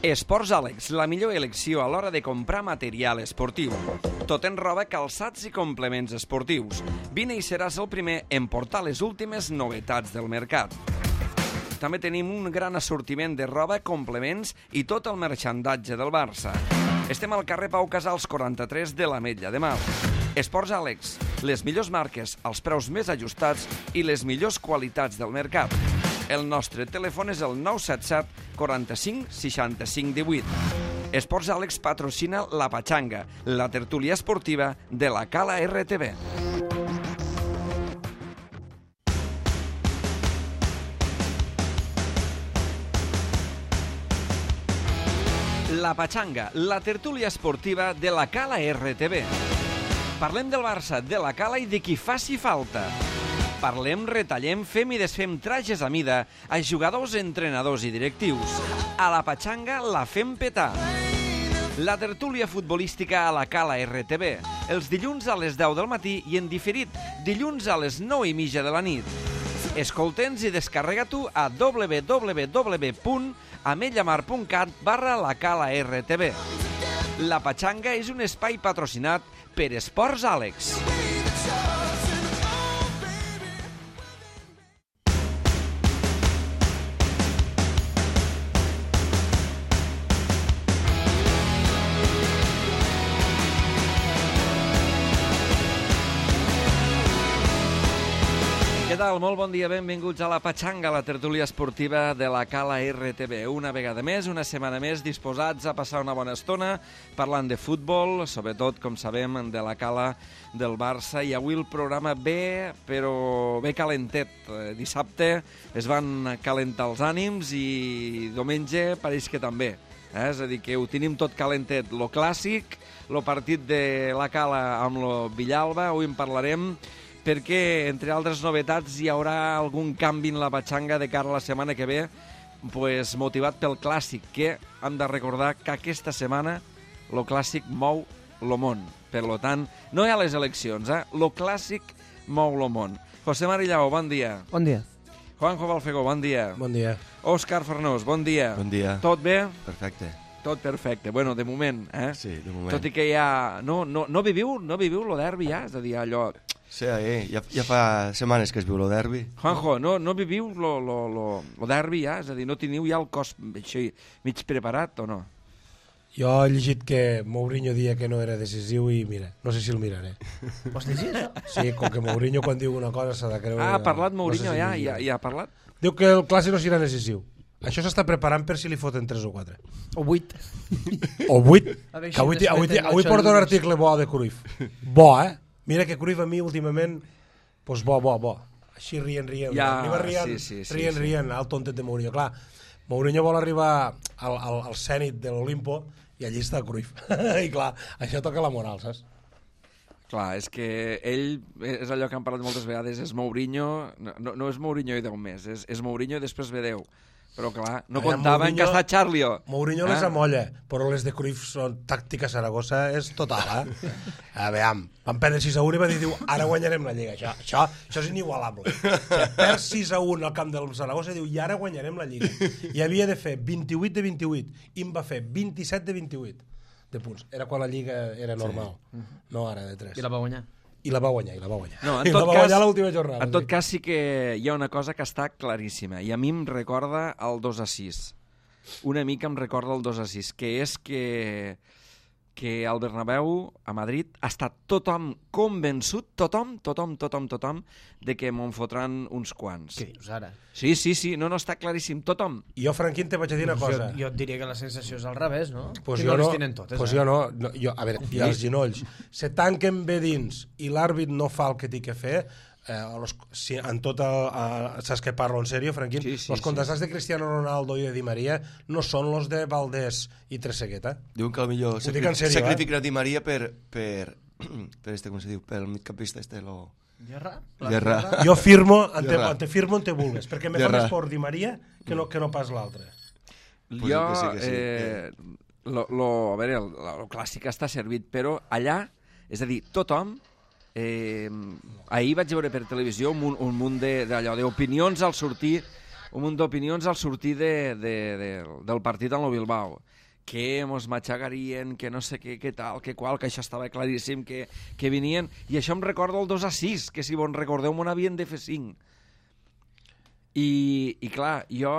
Esports Àlex, la millor elecció a l'hora de comprar material esportiu. Tot en roba, calçats i complements esportius. Vine i seràs el primer en portar les últimes novetats del mercat. També tenim un gran assortiment de roba, complements i tot el merchandatge del Barça. Estem al carrer Pau Casals 43 de l'Ametlla de Mar. Esports Àlex, les millors marques, els preus més ajustats i les millors qualitats del mercat. El nostre telèfon és el 977 45 65 18. Esports Àlex patrocina La Pachanga, la tertúlia esportiva de la Cala RTV. La Pachanga, la tertúlia esportiva de la Cala RTV. Parlem del Barça, de la Cala i de qui faci falta. Parlem, retallem, fem i desfem trajes a mida a jugadors, entrenadors i directius. A la Pachanga la fem petar. La tertúlia futbolística a la Cala RTV, els dilluns a les 10 del matí i en diferit, dilluns a les 9:30 de la nit. Escolta'ns i descarrega-t'ho a www.ametllamar.cat/la Cala RTV. La Pachanga és un espai patrocinat per Esports Àlex. Què tal? Molt bon dia, benvinguts a la Pachanga, la tertúlia esportiva de la Cala RTV. Una vegada més, una setmana més, disposats a passar una bona estona parlant de futbol, sobretot, com sabem, de la Cala del Barça. I avui el programa ve, però ve calentet. Dissabte es van calentar els ànims i diumenge pareix que també. És a dir, que ho tenim tot calentet. Lo clàssic, lo partit de la Cala amb lo Villalba, avui en parlarem, perquè, entre altres novetats, hi haurà algun canvi en la Pachanga de cara a la setmana que ve, pues, motivat pel Clàssic, que hem de recordar que aquesta setmana el Clàssic mou el món. Per tant, no hi ha les eleccions, el Clàssic mou el món. José Marillao, bon dia. Bon dia. Juanjo Balfegó, bon dia. Bon dia. Òscar Farnós, bon dia. Bon dia. Tot bé? Perfecte. Tot perfecte. Bueno, de moment, Sí, de moment. Tot i que ja... No viviu lo derbi ja? És a dir, allò... Sí, ja fa setmanes que es viu el derbi. Juanjo, no viviu lo derbi ja? És a dir, no teniu ja el cos així, mig preparat o no? Jo he llegit que Mourinho dia que no era decisiu i mira, no sé si el miraré. Vols dir això? Sí, com que Mourinho quan diu una cosa s'ha de creure... Ha parlat Mourinho, no sé si ja ha parlat? Diu que el Clàssic no serà decisiu. Això s'està preparant per si li foten 3 o 4. O 8. O 8. veure Que avui si després avui tenen porta un ocho article bo de Cruyff. Bo, Mira que Cruyff a mi últimament, pues bo. Així rient. Ja, Arriba rient, sí. rient, el tontet de Mourinho. Clar, Mourinho vol arribar al Zenit de l'Olimpo i allí està Cruyff. I clar, això toca la moral, saps? Clar, és que ell, és allò que han parlat moltes vegades, és Mourinho, no és Mourinho i 10 més, és Mourinho i després ve 10. Però clar, no comptaven que està Charlio. Mourinho les amolla, però les de Cruyff són tàctica Saragossa, és total, A veure, van perdre 6-1 i va dir, ara guanyarem la Lliga. Això és inigualable. Que perd 6-1 al camp del Saragossa i diu, i ara guanyarem la Lliga. I havia de fer 28 de 28, i en va fer 27 de 28 de punts. Era quan la Lliga era normal, no ara de 3. I la va guanyar. I la va guanyar. No, I la va guanyar l'última jornada. En tot cas, sí que hi ha una cosa que està claríssima, i a mi em recorda el 2-6. Una mica em recorda el 2-6, que és que al Bernabéu, a Madrid, ha estat tothom convençut, tothom, de que m'en fotran uns quants. Què dius ara? Sí, no, està claríssim, tothom. I jo, Franquín, te vaig a dir una cosa. Jo et diria que la sensació és al revés, no? Pues que jo no no, les tenen totes. jo no. A veure, i els ginolls. Se tanquen bé dins i l'àrbit no fa el que té que fer, en tot saps que parlo en sèrio, Franquín? Els contrastats de Cristiano Ronaldo i de Di Maria no són los de Valdés i Trezeguet, Diuen que potser sacrificarà Di Maria per com se diu, pel migcampista Guerra. Jo firmo, te firmo on te vulgues, perquè me fa més por Di Maria que no pas l'altre. Jo, a veure, el clàssic està servit, però allà, és a dir, tothom ahir vaig veure per televisió un munt d'opinions al sortir un munt d'opinions al sortir del partit amb el Bilbao, que mos matxagarien, que no sé què tal, que qual, que això estava claríssim, que venien, i això em recorda el 2-6, que si bon recordeu m'ho havien de fer 5. I clar, jo,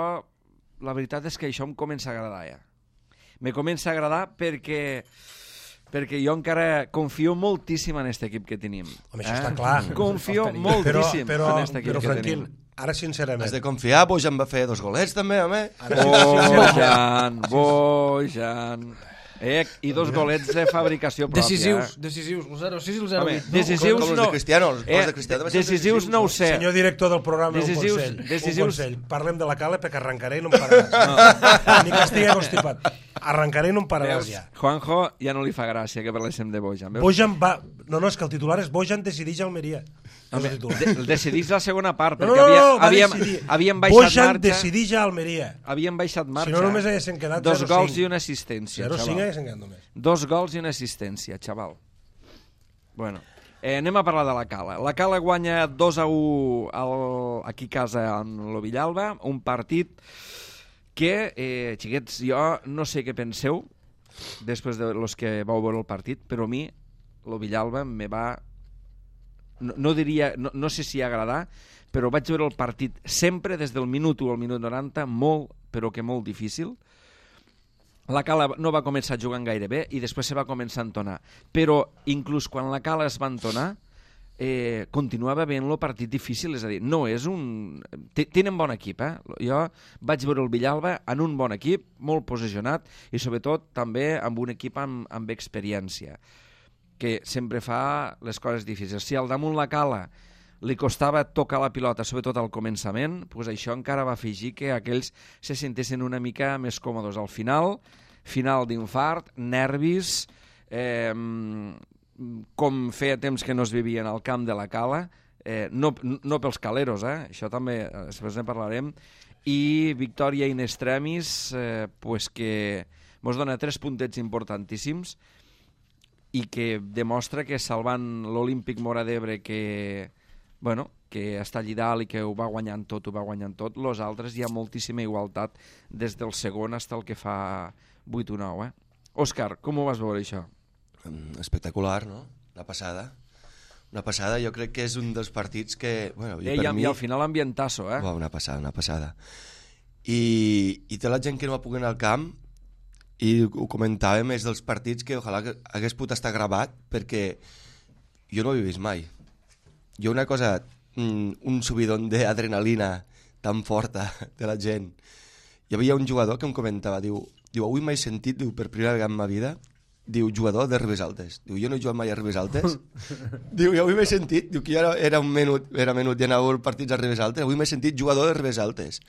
la veritat és que això em comença a agradar ja. Me comença a agradar perquè jo encara confio moltíssim en aquest equip que tenim. Home, això està clar. Confio moltíssim en aquest equip que tenim. Ara, sincerament... Has de confiar, Bojan va fer 2 golets, també, home. Bojan... I 2 golets de fabricació pròpia. Decisius, el 0-6 i el 0-8. Decisius com els de Cristiano. Els de Cristiano decisius no ho sé. Senyor director del programa, un consell. Parlem de la Cala perquè arrencaré i no em pararàs. Ni que estigui constipat. Arrencaré i no em pararàs ja. Juanjo ja no li fa gràcia que parléssim de Bojan. Bojan va... No, és que el titular és Bojan decideix Almeria. Decidís la segona part, perquè havíem baixat Bojan marxa. decideix a Almeria. Havíem baixat marxa. Si no, només haguessin quedat 2 0-5. gols i una assistència, 0-5 haguessin quedat només. 2 gols i una assistència, xaval. Bueno, anem a parlar de la Cala. La Cala guanya 2-1 aquí a casa amb el Villalba, un partit que, xiquets, jo no sé què penseu després de los que vau veure el partit, però a mi el Villalba me va... No sé si agradar, però vaig veure el partit sempre des del minut 1 al minut 90 molt, però que molt difícil. La Cala no va començar jugant gaire bé i després se va començar a entonar, però inclús quan la Cala es va entonar continuava veient-lo partit difícil, és a dir, no és un... Tenen bon equip, Jo vaig veure el Villalba en un bon equip, molt posicionat i sobretot també amb un equip amb experiència, que sempre fa les coses difícils. Si al damunt la Cala li costava tocar la pilota, sobretot al començament, doncs això encara va afegir que aquells se sentessin una mica més còmodes. Al final d'infart, nervis, com feia temps que no es vivien al camp de la Cala, no pels caleros, això també després ne parlarem, i victòria in extremis, pues que mos dona 3 puntets importantíssims i que demostra que salvant l'Olímpic Móra d'Ebre que està allí dalt i que ho va guanyant tot, los altres hi ha moltíssima igualtat des del segon fins al que fa 8 o 9. Òscar, com ho vas veure això? Espectacular, no? Una passada, jo crec que és un dels partits que... I al final ambientasso, Una passada. I té la gent que no va poder anar al camp i ho comentàvem, és dels partits que ojalà que hagués pogut estar gravat perquè jo no ho he vist mai. Jo una cosa, un subidon d'adrenalina tan forta de la gent. Hi havia un jugador que em comentava, diu avui m'he sentit, per primera vegada en ma vida, jugador de Ribes Altes. Jo no he jugat mai a Ribes Altes. I avui m'he sentit, que jo era menut i anava als partits a Ribes Altes, avui m'he sentit jugador de Ribes Altes.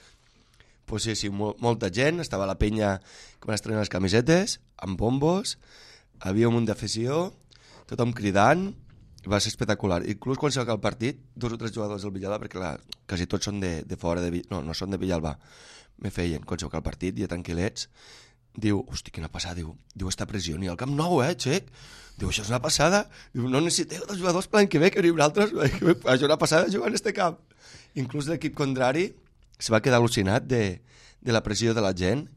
Pues sí, molta gent, estava la penya que van estrenar les camisetes, amb bombos, havia un munt d'afició, tothom cridant, va ser espectacular. Inclús quan s'ha acabat el partit, 2 o 3 jugadors del Villalba, perquè quasi tots són de fora, no són de Villalba, me feien, quan s'ha acabat el partit, ja tranquil·lets, diu, hosti, quina passada, diu, està pressió, ni al Camp Nou, Xec? Diu, això és una passada, diu, no necessiteu 2 jugadors per l'any que ve, que veniu altres, això és una passada jugar en este camp. Inclús l'equip contrari se va quedar al·lucinat de la pressió de la gent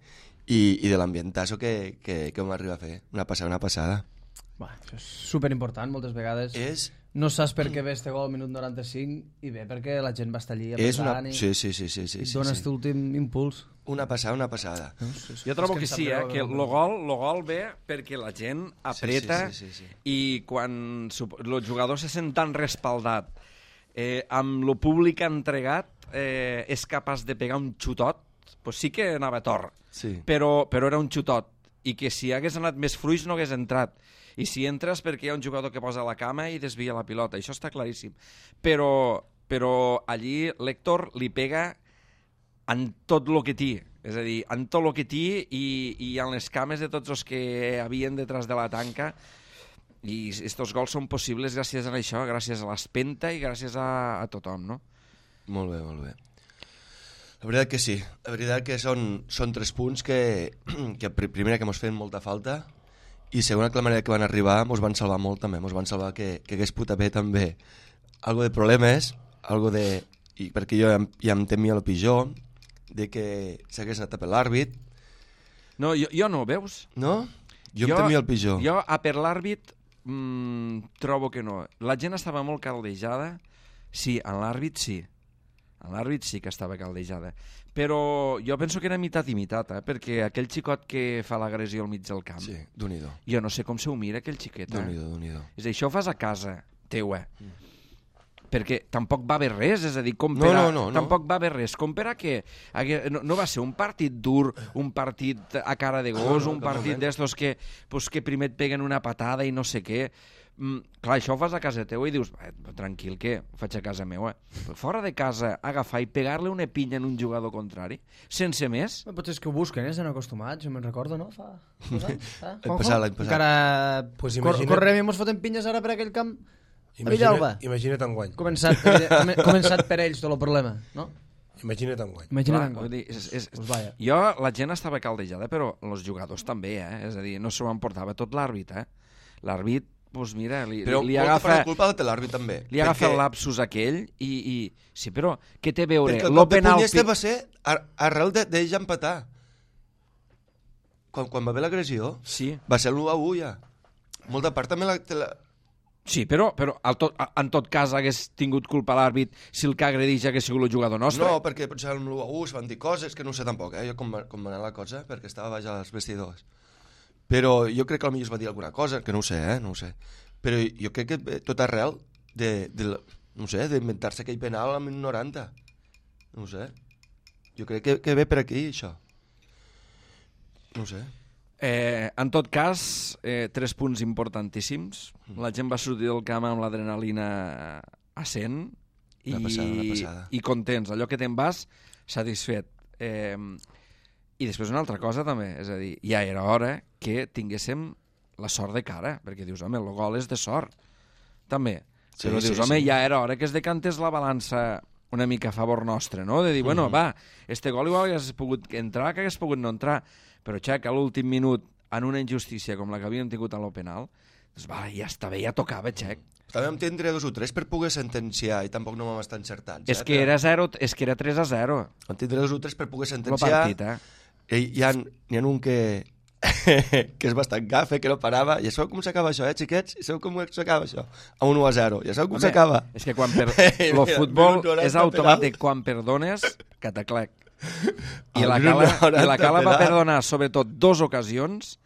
i de l'ambientasso que vam arribar a fer. Una passada. Això és superimportant, moltes vegades. No saps per què ve este gol al minut 95 i ve perquè la gent va estar allí apretant i dona aquest últim impuls. Una passada. Jo trobo que sí, que el gol ve perquè la gent apreta i quan els jugadors se senten tan respaldat amb el públic entregat és capaç de pegar un xutot, doncs sí que anava tort, però era un xutot, i que si hagués anat més fluix no hagués entrat, i si entres perquè hi ha un jugador que posa la cama i desvia la pilota, això està claríssim, però allí l'Héctor li pega en tot el que té, és a dir, en tot el que té i en les cames de tots els que havien detrás de la tanca, i estos gols són possibles gràcies a això, gràcies a l'espenta i gràcies a tothom, no? Molt bé. La veritat que sí. La veritat que són 3 punts que primera que mos feien molta falta i segona que la manera que van arribar mos van salvar molt també. Mos van salvar que hagués pogut haver també algo de problemes, perquè jo ja em temia el pitjor, de que s'hagués anat a per l'àrbit. No, jo no, veus? No? Jo em temia el pitjor. Jo a per l'àrbit trobo que no. La gent estava molt caldejada. Sí, en l'àrbit sí. En l'àrbit sí que estava caldejada. Però jo penso que era mitat i mitat, perquè aquell xicot que fa l'agressió al mig del camp... Sí, Déu-n'hi-do. Jo no sé com s'ho mira, aquell xiquet. Déu-n'hi-do. És a dir, això ho fas a casa teu, perquè tampoc va haver res, és a dir, tampoc va haver res. Com per a què? No va ser un partit dur, un partit a cara de gos, un partit d'estos que primer et peguen una patada i no sé què. Clar, això ho fas a casa teva i dius, tranquil, què? Ho faig a casa meva. Fora de casa, agafar i pegar-li una pinya en un jugador contrari, sense més. Potser és que ho busquen, estan acostumats, jo me'n recordo, no? Fa 2 anys. L'any passat. Encara correm i mos fotem pinyes ara per aquell camp a Villalba. Imagina't enguany. Començat per ells tot el problema, no? Imagina't enguany. Jo, la gent estava caldejada, però els jugadors també, és a dir, no s'ho emportava tot l'àrbit, L'àrbit, doncs mira, li agafa... Però culpa de l'àrbit també. Li agafa el lapsus aquell i... Sí, però què té a veure? Perquè el cop de punyesta va ser arrel d'ells empatar. Quan va haver l'agressió, va ser l'1-1 ja. Molta part també Sí, però en tot cas hagués tingut culpa l'àrbit si el que agredeix hagués sigut el jugador nostre. No, perquè potser amb l'1-1 es van dir coses que no ho sé tampoc, jo com va anar la cosa, perquè estava baix als vestidors. Però jo crec que potser es va dir alguna cosa, que no ho sé, no ho sé. Però jo crec que tot arrel no sé, d'inventar-se aquell penal al 90. No ho sé. Jo crec que ve per aquí, això. No ho sé. En tot cas, 3 punts importantíssims. La gent va sortir del camp amb l'adrenalina a 100 i contents. Allò que te'n vas, satisfet. I després una altra cosa també, és a dir, ja era hora que tinguéssim la sort de cara, perquè dius, home, el gol és de sort, també. Però dius, home, ja era hora que es decantés la balança una mica a favor nostre, no? De dir, bueno, va, este gol igual hagués pogut entrar, que hagués pogut no entrar, però xec, a l'últim minut, en una injustícia com la que havíem tingut a lo penal, doncs va, ja està bé, ja tocava, xec. També vam tindre 2 o 3 per poder sentenciar i tampoc no vam estar encertats. És que era 3-0. Vam tindre 2 o 3 per poder sentenciar. Hi ha un que és bastant gafe, que no parava. Ja sabeu com s'acaba això, xiquets? Ja sabeu com s'acaba això? A 1-0. Ja sabeu com s'acaba? És que quan el futbol és automàtic. Quan perdones, cataclec. I la Cala va perdonar sobretot 2 ocasions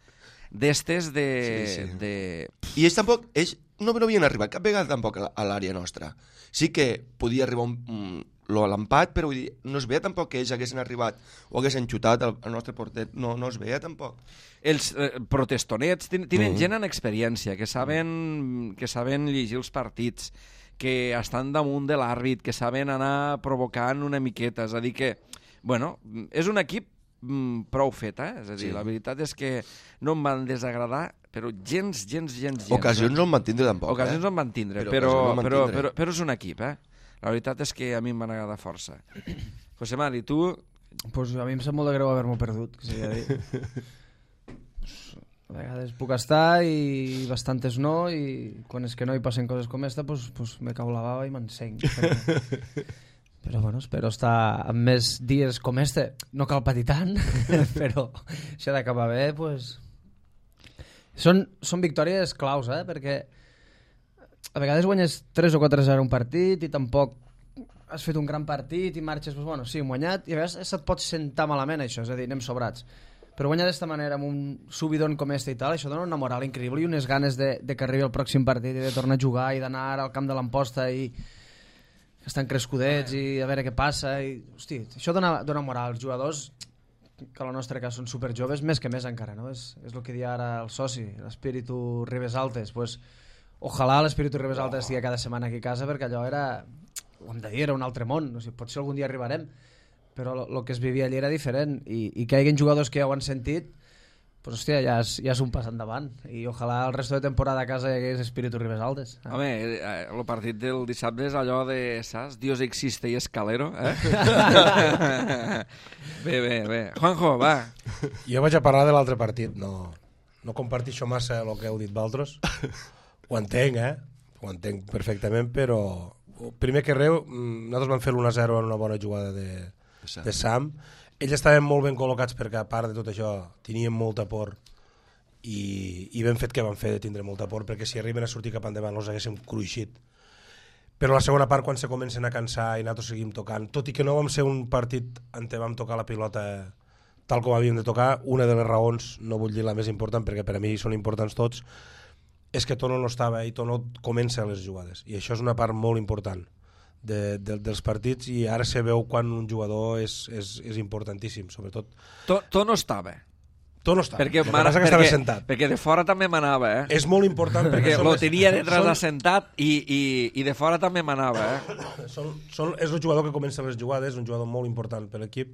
d'estes de... I ells tampoc, ells no havien arribat cap vegada tampoc a l'àrea nostra. Sí que podia arribar l'empat, però vull dir, no es veia tampoc que ells haguessin arribat o haguessin xutat al nostre porter, no es veia tampoc. Els protestonets tenen gent en experiència, que saben llegir els partits, que estan damunt de l'àrbit, que saben anar provocant una miqueta, és a dir que, bueno, és un equip prou fet, és a dir, la veritat és que no em van desagradar, però gens. Ocasions no en van tindre tampoc. Ocasions no en van tindre, però és un equip, La veritat és que a mi em van agradar força. José Mari, tu... Pues a mi em sap molt de greu haver-m'ho perdut, que s'ha de dir. A vegades puc estar i bastantes no, i quan és que no hi passen coses com esta, pues me cau la bava i m'encenc. Però bueno, espero estar amb més dies com este. No cal patir tant, però si ha d'acabar bé, pues... Són victòries claus, perquè a vegades guanyes 3 o 4-0 un partit i tampoc has fet un gran partit i marxes, pues bueno, sí, hem guanyat, i a vegades se't pot sentar malament això, és a dir, anem sobrats. Però guanyar d'esta manera amb un subidon com este i tal, això dona una moral increïble i unes ganes de que arribi el pròxim partit i de tornar a jugar i d'anar al camp de l'Amposta i que estan crescudets i a veure què passa. I, hosti, això dona moral. Els jugadors, que en el nostre cas són superjoves, més que més encara, no? És el que dia ara el soci, l'espíritu Ribes Altes, pues... Ojalà l'espíritu Ribes Altes estigui cada setmana aquí a casa, perquè allò era, ho hem de dir, era un altre món. O sigui, potser algun dia arribarem, però el que es vivia allà era diferent, i que hi hagi jugadors que ja ho han sentit, pues, hòstia, ja és un pas endavant, i ojalà el resto de temporada a casa hi hagués espíritu Ribes Altes. Home, el partit del dissabte és allò de, saps? Dios existe y escalero, Bé. Juanjo, va. Jo vaig a parlar de l'altre partit, no comparteixo massa el que heu dit vosaltres. Ho entenc, ho entenc perfectament, però primer que res, nosaltres vam fer l'1-0 en una bona jugada de de Sam. Ells estaven molt ben col·locats perquè, a part de tot això, tenien molta por i ben fet que van fer de tindre molta por, perquè si arriben a sortir cap endavant els haguéssim cruixit. Però la segona part, quan se comencen a cansar i nosaltres seguim tocant, tot i que no vam ser un partit on vam tocar la pilota tal com havíem de tocar, una de les raons, no vull dir la més important perquè per a mi són importants tots, és que Tono no estava i Tono comença les jugades, i això és una part molt important dels partits, i ara se veu quan un jugador és importantíssim, sobretot. Tono estava. Tono estava, perquè, sentat. Perquè de fora també manava, És molt important perquè lo tenia detrás assentat i de fora també manava, és el jugador que comença les jugades, un jugador molt important per l'equip,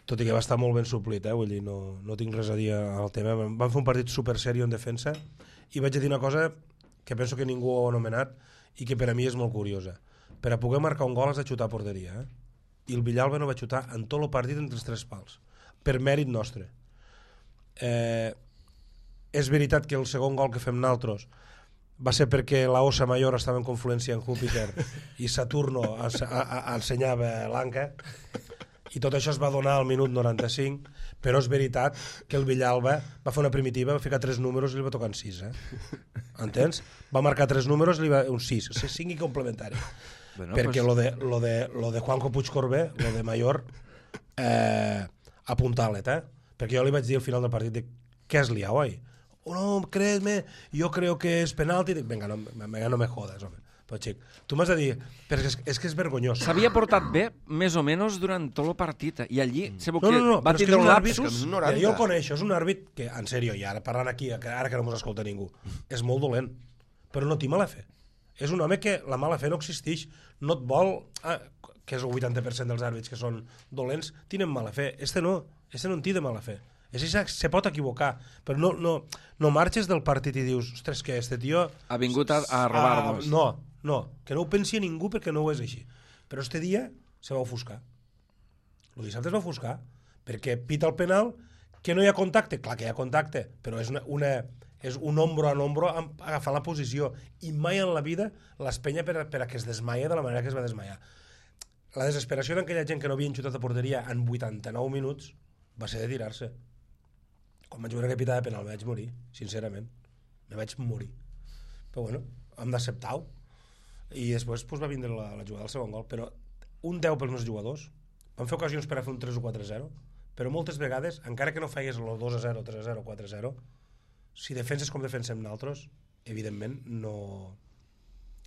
tot i que va estar molt ben suplit, vull dir, no tinc res a dir al tema. Vam fer un partit super serio en defensa i vaig a dir una cosa que penso que ningú ho ha anomenat i que per a mi és molt curiosa. Per a poder marcar un gol has de xutar a porteria, i el Villalba no va xutar en tot el partit entre els 3 pals, per mèrit nostre. És veritat que el segon gol que fem nosaltres va ser perquè la Osa Mayor estava en confluència amb Júpiter i Saturno ensenyava l'anca, i tot això es va donar al minut 95, però és veritat que el Villalba va fer una primitiva, va ficar 3 números i li va tocar en 6, entens? Va marcar 3 números i li va un 6, 5 i complementari. Bueno, perquè pues... lo de Juanjo Puigcorbé, lo de Mayor, apuntalet, perquè jo li vaig dir al final del partit, què has liat, oi? Oh, no, créeme, yo creo que es penalti. Venga, no me jodas, home. Però, xic, tu m'has de dir, però és que és vergonyós. S'havia portat bé, més o menys, durant tot el partit, i allí se veu que va tindre un lapsus. Jo el coneixo, és un àrbit que, en sèrio, i ara parlant aquí, ara que no mos escolta ningú, és molt dolent, però no té mala fe. És un home que la mala fe no existeix, no et vol... que és el 80% dels àrbits que són dolents, tenen mala fe. Este no en té de mala fe. Se pot equivocar, però no marxes del partit i dius, ostres, que este tio... Ha vingut a robar-nos. No, que no ho pensi a ningú perquè no ho és així. Però este dia se va ofuscar. El dissabte es va ofuscar, perquè pita el penal, que no hi ha contacte. Clar que hi ha contacte, però és un ombro a ombro agafar la posició, i mai en la vida l'espenya per a que es desmaia de la manera que es va desmaiar. La desesperació d'aquella gent que no havien xutat a porteria en 89 minuts va ser de tirar-se. Quan vaig veure que pitava penal me vaig morir, sincerament. Me vaig morir. Però bueno, hem d'acceptar-ho. I després va vindre la jugada del segon gol. Però un 10 pels meus jugadors. Vam fer ocasions per a fer un 3 o 4-0, però moltes vegades, encara que no fegués el 2-0, 3-0, 4-0, si defenses com defensem nosaltres, evidentment no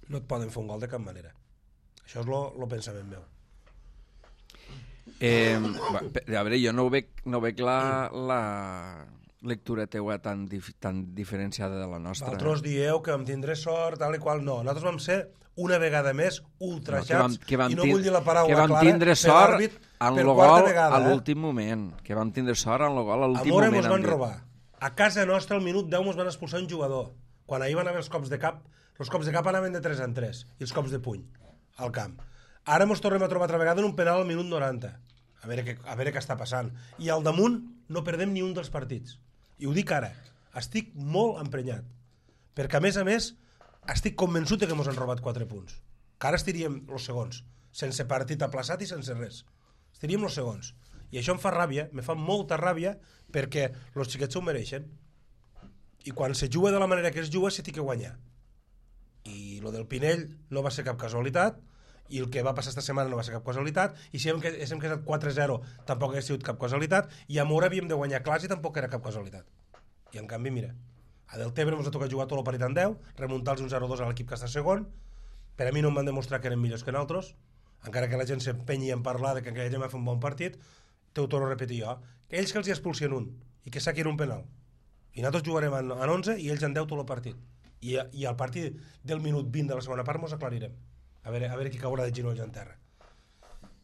et poden fer un gol de cap manera. Això és el pensament meu. A veure, jo no veig la lectura teua tan diferenciada de la nostra. Vosaltres dieu que vam tindre sort, tal i qual. No, nosaltres vam ser una vegada més ultrajats, i no vull dir la paraula clara, que vam tindre sort en el gol a l'últim moment. Que vam tindre sort en el gol a l'últim moment. A Mora mos van robar. A casa nostra al minut 10 mos van expulsar un jugador. Quan ahir van haver els cops de cap anaven de 3 en 3, i els cops de puny al camp. Ara mos tornem a trobar altra vegada en un penal al minut 90. A veure què està passant. I al damunt no perdem ni un dels partits. I ho dic ara. Estic molt emprenyat. Perquè, a més, estic convençut que ens han robat 4 punts. Que ara estiríem els segons. Sense partit aplaçat i sense res. Estiríem els segons. I això em fa ràbia, me fa molta ràbia, perquè els xiquets s'ho mereixen. I quan se juga de la manera que es juga, se té que guanyar. I lo del Pinell no va ser cap casualitat, i el que va passar esta setmana no va ser cap casualitat, i si hem quedat 4-0 tampoc hauria sigut cap casualitat, i a Mora havíem de guanyar clars i tampoc era cap casualitat. I en canvi, mira, a Deltebre ens ha tocat jugar tot el partit en 10, remuntar-los un 0-2 a l'equip que està segon. Per a mi no em van demostrar que eren millors que nosaltres, encara que la gent s'empenyi en parlar de que aquella gent va fer un bon partit. T'ho torno a repetir jo, que ells que els hi expulsien un i que saquin un penal, i nosaltres jugarem en 11 i ells en 10 tot el partit, i al partit del minut 20 de la segona part mos aclarirem. A veure qui caurà de genolls en terra.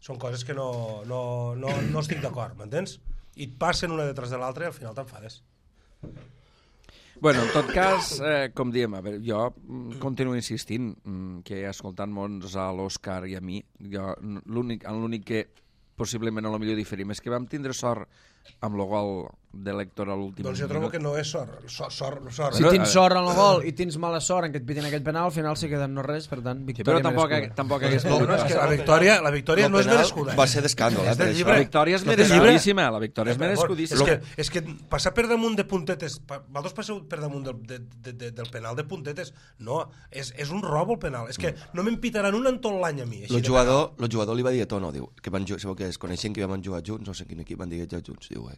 Són coses que no estic d'acord, m'entens? I et passen una detrás de l'altra i al final t'enfades. Bueno, en tot cas, com diem, a veure, jo continuo insistint que escoltant-nos a l'Òscar i a mi, l'únic que possiblement a lo millor diferim és que vam tindre sort amb el gol de l'Héctor a l'últim Doncs jo trobo que no és sort. Si tens sort en el gol i tens mala sort en què et pitin aquest penal, al final sí queda no res, per tant, Però victòria tampoc hagués No, és que la victòria no és merescuda. Va ser d'escàndol, És del per llibre. La victòria és No té merescudíssima, la victòria és merescudíssima. És que passar per damunt de puntetes, vosaltres passeu per damunt del penal de puntetes, no, és un robo el penal, és que no me'n pitaran un en tot l'any a mi. El jugador li va dir a Tono, diu, que sabeu que es coneixen que vam jugar junts, no sé quin equip van dir que junts, diu,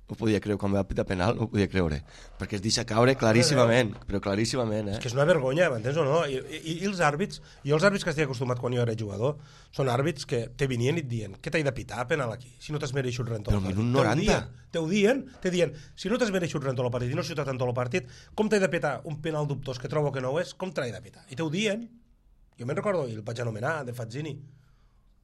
no podia creure, quan va pitar penal, no podia creure, perquè es deixa caure claríssimament, però claríssimament, És que és una vergonya, m'entens o no? I els àrbits, jo els àrbits que estic acostumat quan jo era jugador, són àrbits que te venien i et diuen, què t'he de pitar penal aquí, si no t'has mereixut res en tot el Però partit. minut 90. Te dient, si no t'has mereixut res en tot el partit i no has xutat en tot el partit, com t'he de pitar un penal dubtós que trobo que no ho és, com t'he de pitar? I te ho dient. Jo me'n recordo, i el vaig anomenar, de Fazzini,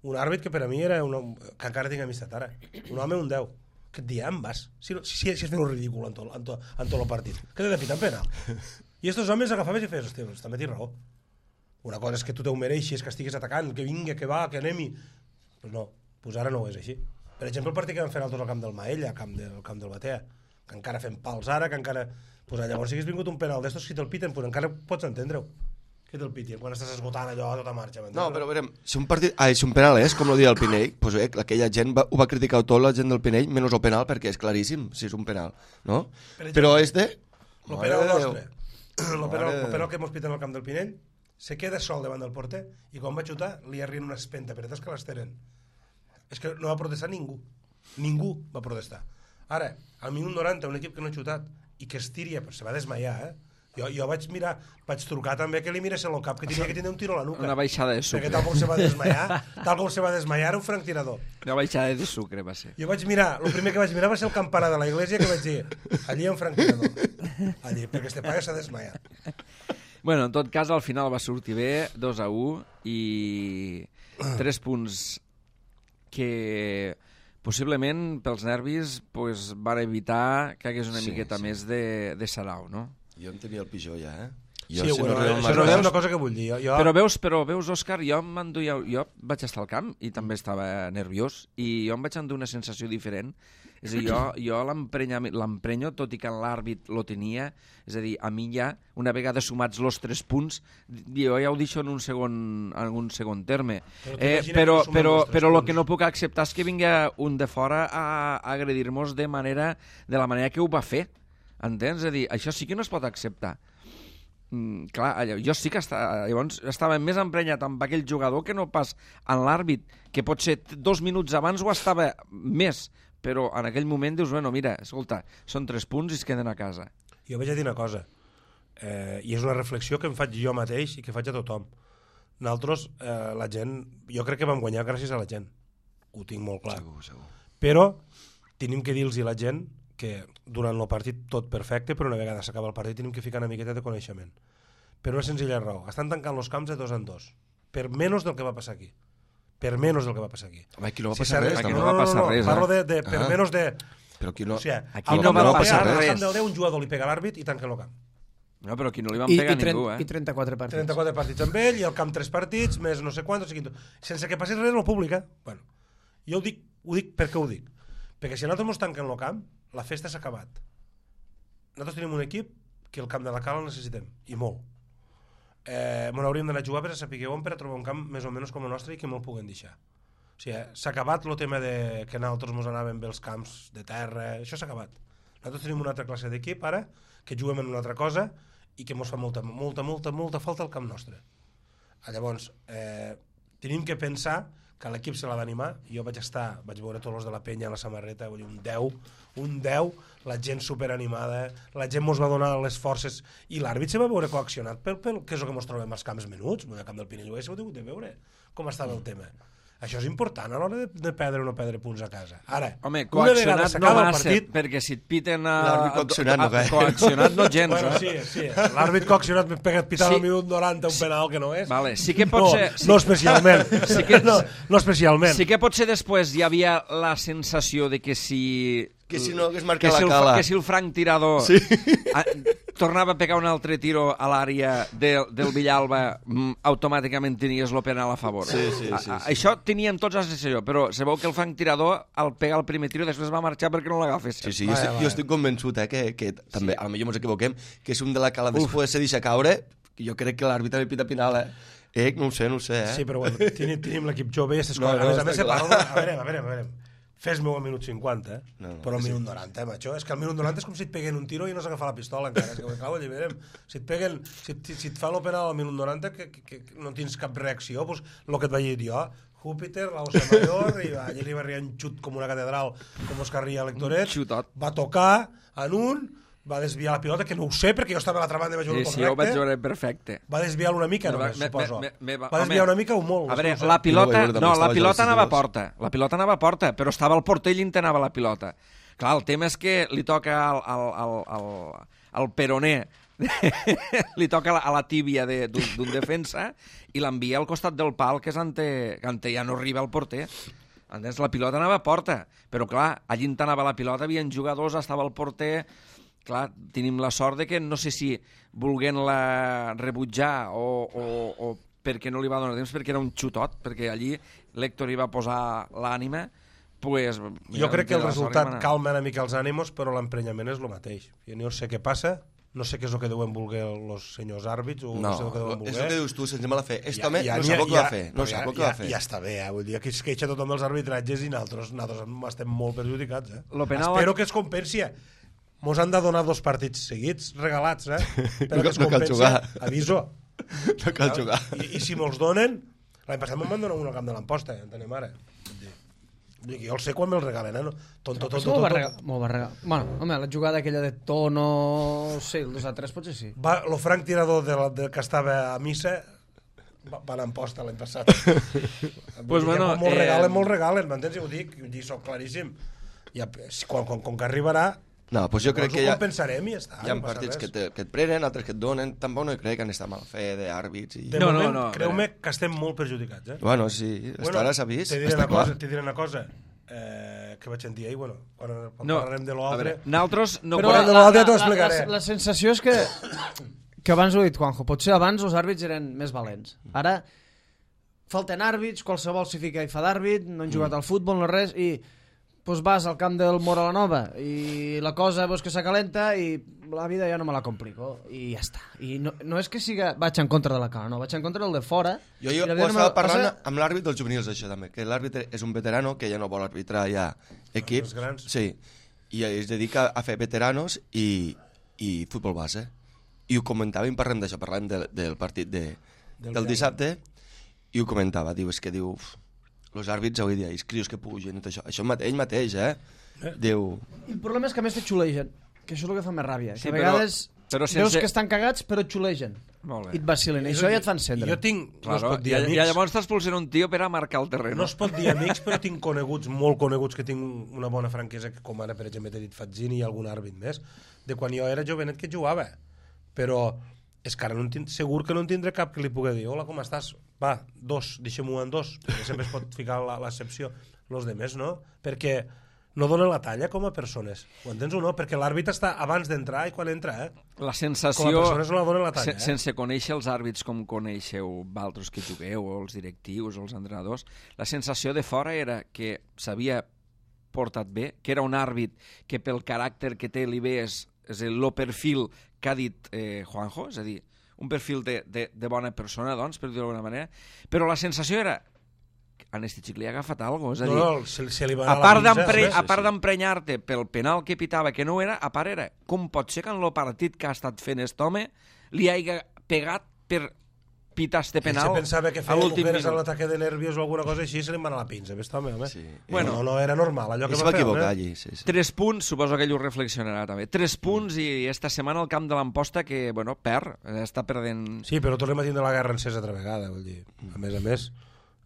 un àrbit que per a mi era que encara tinc amistat ara, un home, un 10. Que et diem, vas, si has fet un ridícul en tot el partit, que t'he de pitar en penal. I estos homes agafaves i feies, hòstia, doncs també tens raó. Una cosa és que tu te ho mereixis, que estiguis atacant, que vingui, que va, que anem-hi. Pues no, pues ara no ho és així. Per exemple, el partit que vam fer nosaltres al camp del Maella, al camp del Batea, que encara fem pals ara, que encara... Pues llavors, si hagués vingut un penal d'estos, si te'l piten, pues encara pots entendre-ho. Que te'l piti, quan estàs esgotant allò a tota marxa. No, però veurem, si un penal és, com lo dia el Pinell, pues aquella gent ho va criticar tot, la gent del Pinell, menys el penal, perquè és claríssim si és un penal, no? Però és de... El penal nostre, el penal que mos piten al camp del Pinell, se queda sol davant del porter i quan va xutar li arrien una espenta, però és que les tenen. És que no va protestar ningú. Ningú va protestar. Ara, al minut 90, un equip que no ha xutat i que es tiria, se va desmaiar, Jo vaig trucar també que li mirés el cap, que tenia que tenir un tiro a la nuca. Una baixada de sucre. Perquè tal com se va desmaiar, era un franctirador. Una baixada de sucre va ser. Jo vaig mirar, el primer que vaig mirar va ser el campanar de la iglesia, que vaig dir, allí hi ha un franctirador. Allí, perquè este paga s'ha desmaiat. Bueno, en tot cas, al final va sortir bé, 2-1, i 3 punts que possiblement pels nervis pues, van evitar que hagués una miqueta més de sarau, no? Jo en tenia el pitjor ja, Sí, bueno, això és una cosa que vull dir. Però veus, Òscar, jo vaig estar al camp i també estava nerviós i jo em vaig endur una sensació diferent. És a dir, jo l'emprenyo, tot i que l'àrbit lo tenia, és a dir, a mi ja, una vegada sumats els 3 punts, jo ja ho deixo en un segon terme. Però el que no puc acceptar és que vingui un de fora a agredir-nos de la manera que ho va fer. Entens? És a dir, això sí que no es pot acceptar. Clar, jo sí que llavors estava més emprenyat amb aquell jugador que no pas en l'àrbit, que potser 2 minuts abans ho estava més, però en aquell moment dius, bueno, mira, escolta, són 3 punts i es queden a casa. Jo vaig a dir una cosa, i és una reflexió que em faig jo mateix i que faig a tothom. Nosaltres, la gent, jo crec que vam guanyar gràcies a la gent, ho tinc molt clar. Segur. Però tenim que dir-los a la gent que durant el partit tot perfecte, però una vegada s'acaba el partit tenim que ficar una miqueta de coneixement. Per una senzilla raó. Estan tancant els camps de 2 en 2. Per menys del que va passar aquí. Per menys del que va passar aquí. Home, aquí no va passar res. Aquí no va passar res. Parlo de per menys de... Però aquí no, o sigui, aquí no va passar res. Al camp del 10 un jugador li pega l'àrbit i tanca el camp. No, però aquí no li van pegar ningú, I 34 partits. 34 partits amb ell, i al camp 3 partits, més no sé quants, sense que passi res en el públic, Bueno, jo ho dic perquè ho dic. Perquè si nosaltres ens tanquen el camp, la festa s'ha acabat. Nosaltres tenim un equip que el camp de la Cala el necessitem, i molt. M'ho hauríem d'anar a jugar per a saber on per a trobar un camp més o menys com el nostre i que me'l puguen deixar. O sigui, s'ha acabat el tema de que nosaltres ens anàvem bé els camps de terra, això s'ha acabat. Nosaltres tenim una altra classe d'equip ara, que juguem en una altra cosa i que ens fa molta falta al camp nostre. Llavors, tenim que pensar que l'equip se l'ha d'animar. Jo vaig veure tots els de la penya a la samarreta, un 10, la gent superanimada, la gent ens va donar les forces i l'àrbit se va veure coaccionat pel que és el que ens trobem als camps menuts, al camp del Pinell ho heu de veure com estava el tema. Això és important a l'hora de perdre o no perdre punts a casa. Ara, home, coaccionat no va ser, perquè si et piten coaccionat no gens, bueno, sí. L'àrbit coaccionat m'he pegat pitant al minut 90 un penal que no és. Vale, sí que pot ser... No especialment. No especialment. Sí que potser després hi havia la sensació de que si... Que si no hagués marcat la Cala. Que si el franc tirador... Sí. tornava a pegar un altre tiro a l'àrea del Villalba, automàticament tenies el penal a favor. Sí. Això teníem tots la sensació, però sabeu que el Frank Tirador, al pegar el primer tiro, després va marxar perquè no l'agafés. Sí, jo estic convençut que també, potser ens equivoquem, que és un de la cala després se deixa caure, que jo crec que l'àrbitre li pita penal, no ho sé, Sí, però bueno, tenim l'equip jove i aquestes coses. A més, se parla... A veure. Fes-me al minut 50, però al minut 90, macho. És que al minut 90 és com si et peguen un tiro i no s'agafa la pistola encara. És que, clar, ho alliberem. Si et fa el penal al minut 90 que no tens cap reacció, doncs el que et vaig dir jo, Júpiter, la Osa Mayor, i allà li va arribar un xut com una catedral, com Oscar Ria Lectoret, va tocar en un, va desviar la pilota, que no ho sé, perquè jo estava a l'altra banda i vaig veure correcte. Sí, jo ho vaig veure perfecte. Va desviar una mica, només, suposo. Va desviar una mica o molt. A veure, la pilota anava a porta. La pilota anava a porta, però estava al porter i l'intenava la pilota. Clar, el tema és que li toca al peroné, li toca a la tíbia d'un defensa i l'envia al costat del pal, que és on ja no arriba el porter. Entens? La pilota anava a porta, però clar, allí anava la pilota, havien jugadors, estava el porter... Clar, tenim la sort de que no sé si volent-la rebutjar o perquè no li va donar temps, perquè era un xutot, perquè allí l'Héctor hi va posar l'ànima, pues... Jo crec que el resultat calma una mica els ànimos, però l'emprenyament és el mateix. Jo no sé què passa, no sé què és el que deuen voler els senyors àrbits, o no sé el que deuen voler. És el que dius tu, sense mala fe. Este home no sap el que va fer. No sap el que va fer. Ja està bé, vull dir que es queixa tothom dels arbitratges i nosaltres estem molt perjudicats. Espero que es compensi. Mos han de donar 2 partits seguits, regalats, però que es no cal jugar. Aviso. No cal jugar. I si mos donen... L'any passat me'n van donar un al camp de l'Amposta, entenem ara. Jo el sé quan me'l regalen, no? Tonto. Molt va regalar. Bueno, home, la jugada aquella de Tono... Sí, el 2-3 potser sí. Lo Frank Tirador que estava a missa va anar a Amposta l'any passat. Pues bueno... Molt regalen, m'entens? I ho dic, soc claríssim. Com que arribarà... No, doncs jo crec que ho compensarem i ja està. Hi ha partits que et prenen, altres que et donen. Tampoc no crec que han estat mal fe d'àrbits. De moment, creu-me que estem molt perjudicats. Bueno, sí, ara s'ha vist. Te diré una cosa que vaig sentir ahir, quan parlarem de l'altre... Nosaltres no... Però de l'altre t'ho explicaré. La sensació és que abans ho he dit, Juanjo, potser abans els àrbits eren més valents. Ara falten àrbits, qualsevol s'hi fica i fa d'àrbit, no han jugat al futbol, no res, i... Pues vas al camp del Mora la Nova i la cosa que s'acalenta i la vida ja no me la complico i ja està. I no és que vaig en contra de la cala, no, vaig en contra del de fora. Jo estava parlant amb l'àrbit dels juvenils això també, que l'àrbitre és un veterano que ja no vol arbitrar ja equips. Sí, i es dedica a fer veteranos i futbol base. I ho comentàvem, parlem d'això, parlem del partit del dissabte i ho comentava, és que els àrbits avui dia, els crios que pugen, això ell mateix, diu... El problema és que a més te xulegen, que això és el que fa més ràbia. Sí, que a vegades veus que estan cagats, però xulegen. I et vacilen, i això ja et fan encendre. Jo tinc, no es pot dir amics... I llavors t'expulsen un tio per a marcar el terreny. No es pot dir amics, però tinc coneguts, molt coneguts, que tinc una bona franquesa, com ara, per exemple, t'he dit Fazzini i algun àrbit més, de quan jo era jovenet que jugava. Però és que ara segur que no en tindré cap que li pugui dir hola, com estàs? Va, 2, deixem-ho en 2, perquè sempre es pot ficar l'excepció. Els demés no, perquè no donen la talla com a persones. Ho entens o no? Perquè l'àrbit està abans d'entrar i quan entra, La sensació... Com a persones no la donen la talla, Sense conèixer els àrbits com coneixeu vosaltres que jugueu, o els directius, o els entrenadors, la sensació de fora era que s'havia portat bé, que era un àrbit que pel caràcter que té li ve és el perfil que ha dit Juanjo, és a dir, un perfil de bona persona, doncs, per dir-ho d'alguna manera, però la sensació era a este xic li ha agafat alguna cosa, és a dir, se li va a part d'emprenyar-te pel penal que pitava, que no era, a part era, com pot ser que en el partit que ha estat fent aquest home li hagi pegat per pitar este penal se pensava que feia mujeres a l'ataque de nervios o alguna cosa així, se li va anar la pinça, home. Sí. Bueno, no era normal allò que va fer. I se va equivocar allí. 3 punts, suposo que ell ho reflexionarà també. 3 punts i esta setmana al camp de l'Amposta que, bueno, està perdent... Sí, però tornem a tindre la guerra encesa altra vegada, vull dir. A més,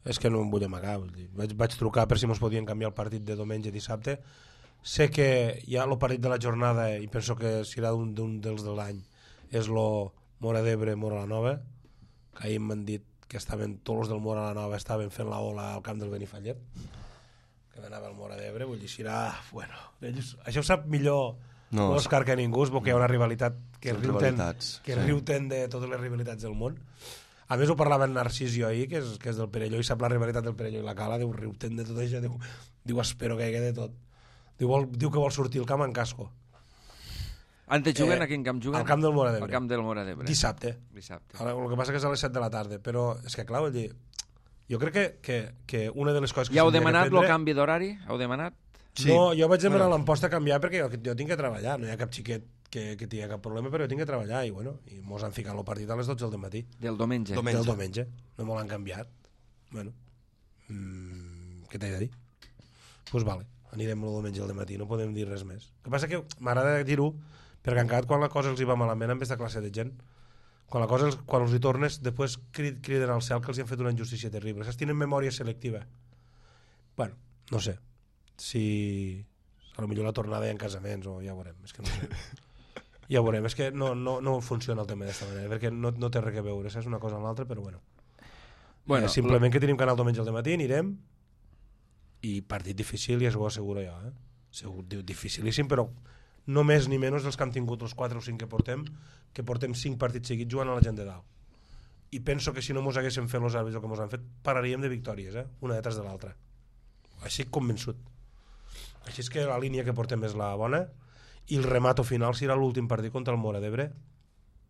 és que no em vull amagar, vull dir. Vaig trucar per si mos podien canviar el partit de diumenge i dissabte. Sé que hi ha el partit de la jornada i penso que serà un dels de l'any. És lo Mora d'Ebre, Mora la Nova, que ahir m'han dit que estaven tots els del Mora la Nova estaven fent la ola al camp del Benifallet, que anava al Mora d'Ebre, vull dir, serà... Bueno, això ho sap millor No, Òscar que ningú, perquè hi ha una rivalitat que Són riuten rivalitats, sí. de totes les rivalitats del món. A més, ho parlava en Narcís jo ahir, que és del Perelló, i sap la rivalitat del Perelló i la Cala, diu, riuten de tot això, diu espero que hi hagi de tot. Diu que vol sortir el camp en casco. Ante juguen, a quin camp juguen? Al camp del Móra d'Ebre. Al camp del Móra d'Ebre. Dissabte. Ara, el que passa que és a les 7 de la tarda, però és que clar, vull dir, jo crec que una de les coses que ja heu s'hauria demanat d'aprendre- el canvi d'horari? Heu demanat? Sí. No, jo vaig demanar l'emposta a canviar perquè jo tinc que treballar, no hi ha cap xiquet que tingui cap problema, però jo tinc que treballar i mos han ficat el partit a les 12 del matí. Del diumenge. Diumenge. Del diumenge. No me l'han canviat. Bueno, què t'he de dir? Doncs pues vale, anirem el diumenge al matí, no podem dir res més. El que passa que m'agrada dir-ho perquè encara quan la cosa els hi va malament en vez de classe de gent, quan els hi tornes, després criden al cel que els hi han fet una injustícia terrible. Saps? Tenen memòria selectiva. Bueno, no sé. Si a lo millor la tornada hi ha en casaments o ja ho veurem. És que no sé. Ja ho veurem. És que no funciona el tema d'aquesta manera, perquè no té res a veure. És una cosa amb l'altra, però bueno. Simplement que tenim canal diumenge al matí, anirem i partit difícil, ja s'ho asseguro jo. Segur, dificilíssim, però no més ni menys dels que han tingut els 4 o 5 que portem 5 partits seguits jugant a la gent de dalt. I penso que si no mos haguéssim fet els àrbits el que mos han fet, pararíem de victòries, una detrás de l'altra. Així convençut. Així és que la línia que portem és la bona i el remato final serà l'últim partit contra el Móra d'Ebre.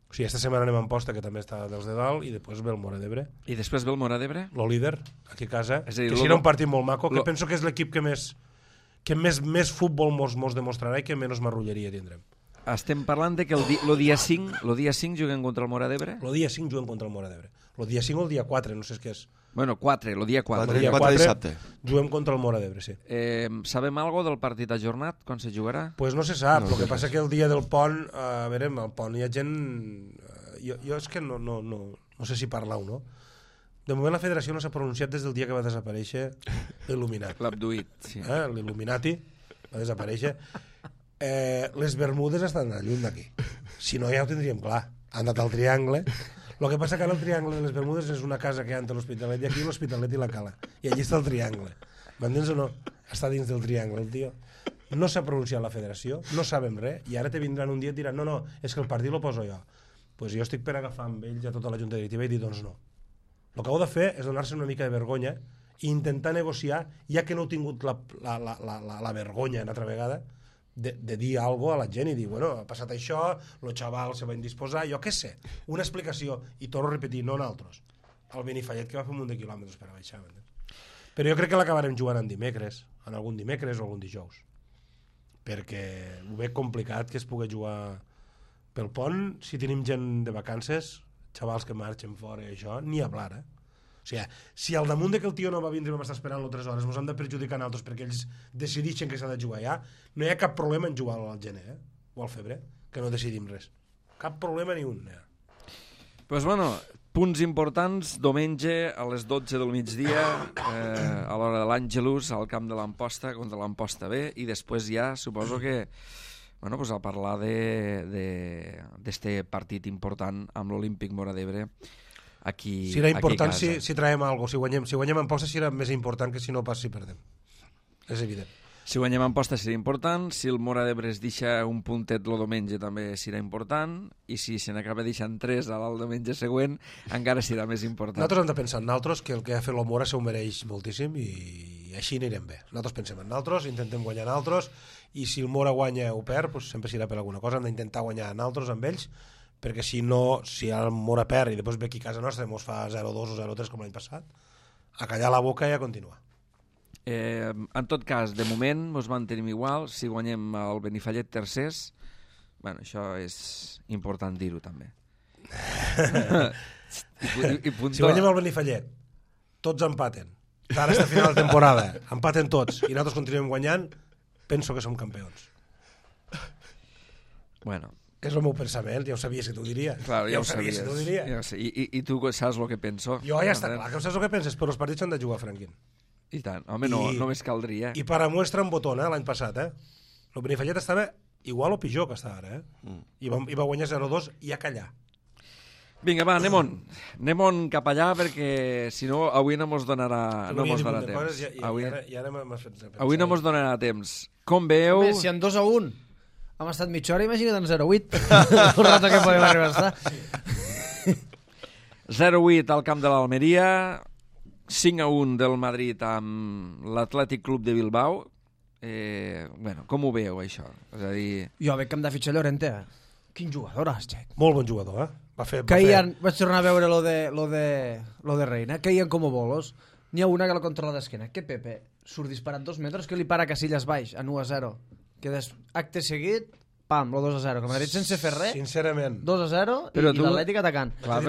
O sigui, esta setmana anem a Amposta, que també està dels de dalt, i després ve el Móra d'Ebre. I després ve el Móra d'Ebre? Lo líder, aquí a casa, És a dir, que serà un partit molt maco, que penso que és l'equip que més futbol mos demostrarà i que menys marrulleria tindrem. Estem parlant de que el dia 5 juguen contra el Móra d'Ebre? El dia 5 juguen contra el Móra d'Ebre. El dia 5 o el dia 4, no sé què és. Bueno, 4, el dia 4. El dia 4 dissabte. Juguem contra el Móra d'Ebre, sí. Sabem algo del partit ajornat, quan se jugarà? Pues no se sap, No el que sé passa res. que el dia del pont, a veure, al pont hi ha gent... Jo és que no sé si parlar o no. De moment la federació no s'ha pronunciat des del dia que va desaparèixer l'Il·luminat. L'Abduït, sí. L'Il·luminati va desaparèixer. Les Bermudes estan lluny d'aquí. Si no ja ho tindríem clar. Han anat al Triangle. El que passa que ara el Triangle de les Bermudes és una casa que hi ha entre l'Hospitalet i aquí l'Hospitalet i la Cala. I allí està el Triangle. M'entens o no? Està dins del Triangle, el tio. No s'ha pronunciat la federació, no sabem res, i ara te vindran un dia i et diran no, és que el partit lo poso jo. Pues jo estic per agafar amb ells a tota la junta directiva i dir doncs no. El que heu de fer és donar-se una mica de vergonya i intentar negociar, ja que no heu tingut la vergonya una altra vegada, de dir alguna cosa a la gent i dir, bueno, ha passat això, el xaval se va indisposar, jo què sé, una explicació, i torno a repetir, no nosaltres, el Benifallet que va fer un munt de quilòmetres per a baixar, però jo crec que l'acabarem jugant en dimecres, en algun dimecres o algun dijous, perquè ho veig complicat que es pugui jugar pel pont, si tenim gent de vacances, xavals que marxen fora i això, ni hablar, O sigui, si al damunt de que el tio no va vindre i vam estar esperant-lo 3 hores, ens han de perjudicar nosaltres perquè ells decidixen que s'ha de jugar allà, no hi ha cap problema en jugar al gener, o al febrer, que no decidim res. Cap problema ni un. Pues bueno, punts importants, diumenge a les 12 del migdia, a l'hora de l'Àngelus, al camp de l'Amposta, contra l'Amposta B, i després ja suposo que pues a parlar d'este partit important amb l'Olímpic Móra d'Ebre aquí, serà important aquí a casa. si traiem alguna cosa, si guanyem Amposta serà més important que si no pas si perdem. És evident. Si guanyem Amposta serà important, si el Móra d'Ebre es deixa un puntet el diumenge també serà important, i si se n'acaba deixant 3 al diumenge següent encara serà més important. Nosaltres hem de pensar en nosaltres, que el que ha fet el Móra s'ho mereix moltíssim i així anirem bé. Nosaltres pensem en nosaltres, intentem guanyar nosaltres, i si el Móra guanya o perd, pues sempre serà per alguna cosa, hem d'intentar guanyar nosaltres amb ells, perquè si no, si el Móra perd i després ve aquí a casa nostra i ens fa 0-2 o 0-3 com l'any passat, a callar la boca i a continuar. En tot cas, de moment ens mantenim igual, si guanyem el Benifallet tercers, bueno, això és important dir-ho també. I si guanyem el Benifallet, tots empaten, ara està a final de temporada, empaten tots i nosaltres continuem guanyant, penso que som campions. Bueno, és el meu pensament, ja ho sabies que t'ho diria. Clar, ja ho sabies. Que t'ho diria. Ja ho sé. I tu saps el que penso? Jo ja està clar que saps el que penses, però els partits s'han de jugar, Franquín. I tant. Home, no, només caldria. I per a muestra en botón, l'any passat, el Benifallet estava igual o pitjor que està ara, I va guanyar 0-2 i a callar. Vinga, va, anem on cap allà, perquè si no, avui no mos donarà temps. Avui no mos donarà temps. Com veieu... Home, si en 2-1... Hem estat mitja hora, imagina't en 0-8. El rato que podem arribar a estar. 0-8 al camp de l'Almeria, 5-1 del Madrid amb l'Atlètic Club de Bilbao. Bueno, com ho veieu, això? És a dir... Jo veig que hem de fitxar Llorente. Quin jugador, Jack. Molt bon jugador, Vaig tornar a veure lo de Reina. Caien com bolos. N'hi ha una que la controla d'esquena. Que Pepe surt disparat 2 metres, que li para Casillas baix, a 1-0. Que acte seguit, pam, lo 2-0. Que Madrid sense fer res, sincerament. 2-0 i l'Atlètic atacant. Clar,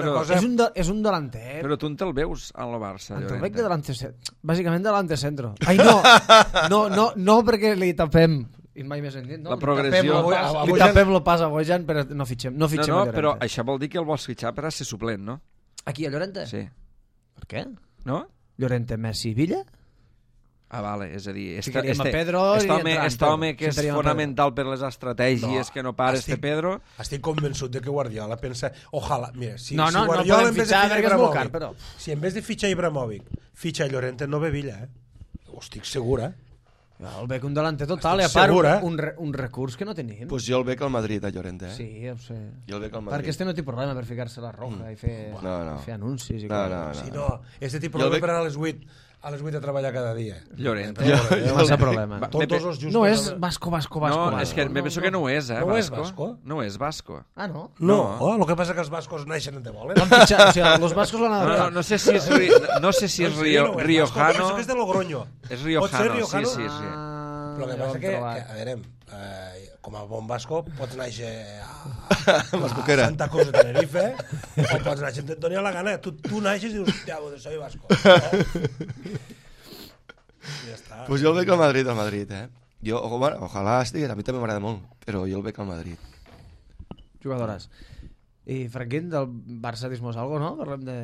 És un delanter. Però tu on te'l veus en el Barça, Te'l veig Llorente? de delante, bàsicament delante centro. Ai, no perquè li tapem, i mai més dit, no? La progressió. Li tapem lo pas a Bojan, però no fitxem a Llorente. Però això vol dir que el vols fitxar per a ser suplent, no? Aquí, a Llorente? Sí. Per què? No? Llorente, Messi, Villa? Ah, vale, és a dir... Ficaríem a Pedro i Este home que és fonamental per les estratègies, que no para Pedro... Estic convençut de que Guardiola pensa... Ojalà, mira, si no Guardiola podem fitxar perquè és molt car, però... Si en vez de fitxar Ibrahimovic, fitxa Llorente, no ve Villa, Ho estic segur, El veig un delanter total, i a Estic part segur, un recurs que no tenim. Pues jo el veig al Madrid, a Llorente, Sí, ja ho sé. Jo el veig al Madrid. Perquè este no té problema per ficar-se la roja i fer anuncis. No. Este té problema per anar a les 8 a treballar cada dia. Llorente. Massa problema. Tots els justos... No és Vasco. No, és que me penso que no ho és, No és Vasco? No és Vasco. Ah, no? No, el que passa que els bascos naixen en te volen. L'han fitxat, o sigui, los vascos l'han adaptat. No sé si és riojano. Penso que és de Logroño. És riojano, sí. Però el que passa que, a veure, com a bon basco, pots néixer a Santa Cruz de Tenerife o pots néixer on et doni la gana. Tu naixes i dius, hòstia, soy vasco. Ja està. Pues jo el veig al Madrid, Jo, bueno, ojalà estigués, a mi també m'agrada molt, però jo el veig al Madrid. Jugadores. I Franquín, del Barça dis-mos algo, no? Parlem de...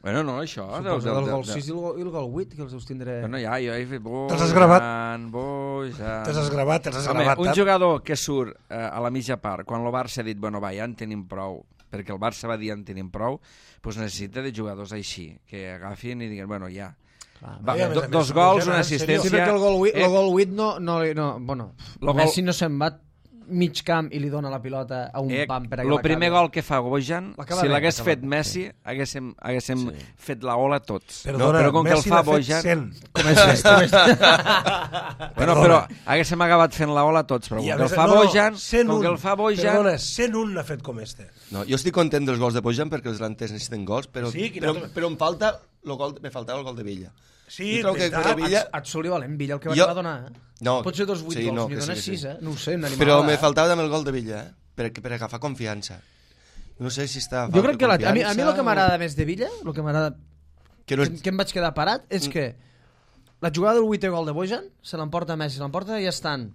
Bueno, no, això... Suposo del gol 6 i el gol 8, que els deus tindré... Bueno, ja, jo he fet Bojan... Te'ls has gravat? Bojan... Te'ls has gravat, un jugador que surt a la mitja part, quan el Barça ha dit, bueno, va, ja en tenim prou, perquè el Barça va dir en tenim prou, doncs necessita de jugadors així, que agafin i diguin, bueno, ja... Va, dos gols, una assistència... Sí, perquè el gol 8 no... Bueno, Messi no se'n va mig camp i li dona la pilota a un pam per a que el primer gol que fa Bojan, si l'hagués fet Messi, haguéssim fet la ola tots. Però com que el fa Bojan... Bueno, però haguéssim acabat fent la ola tots, però com que el fa Bojan... Perdona, 101 n'ha fet com este. No, jo estic content dels gols de Bojan perquè els delanters necessiten gols, però em falta me faltava el gol de Villa. Sí, et soli valent Villa el que va donar. No, pot ser 2 8 gols, n'hi dona 6, no ho sé, un animal. Però me faltava també el gol de Villa, per agafar confiança. No sé si està... Jo crec que a mi el que m'agrada més de Villa, el que m'agrada que em vaig quedar parat, és que la jugada del 8è gol de Bojan se l'emporta Messi, l'emporta i està en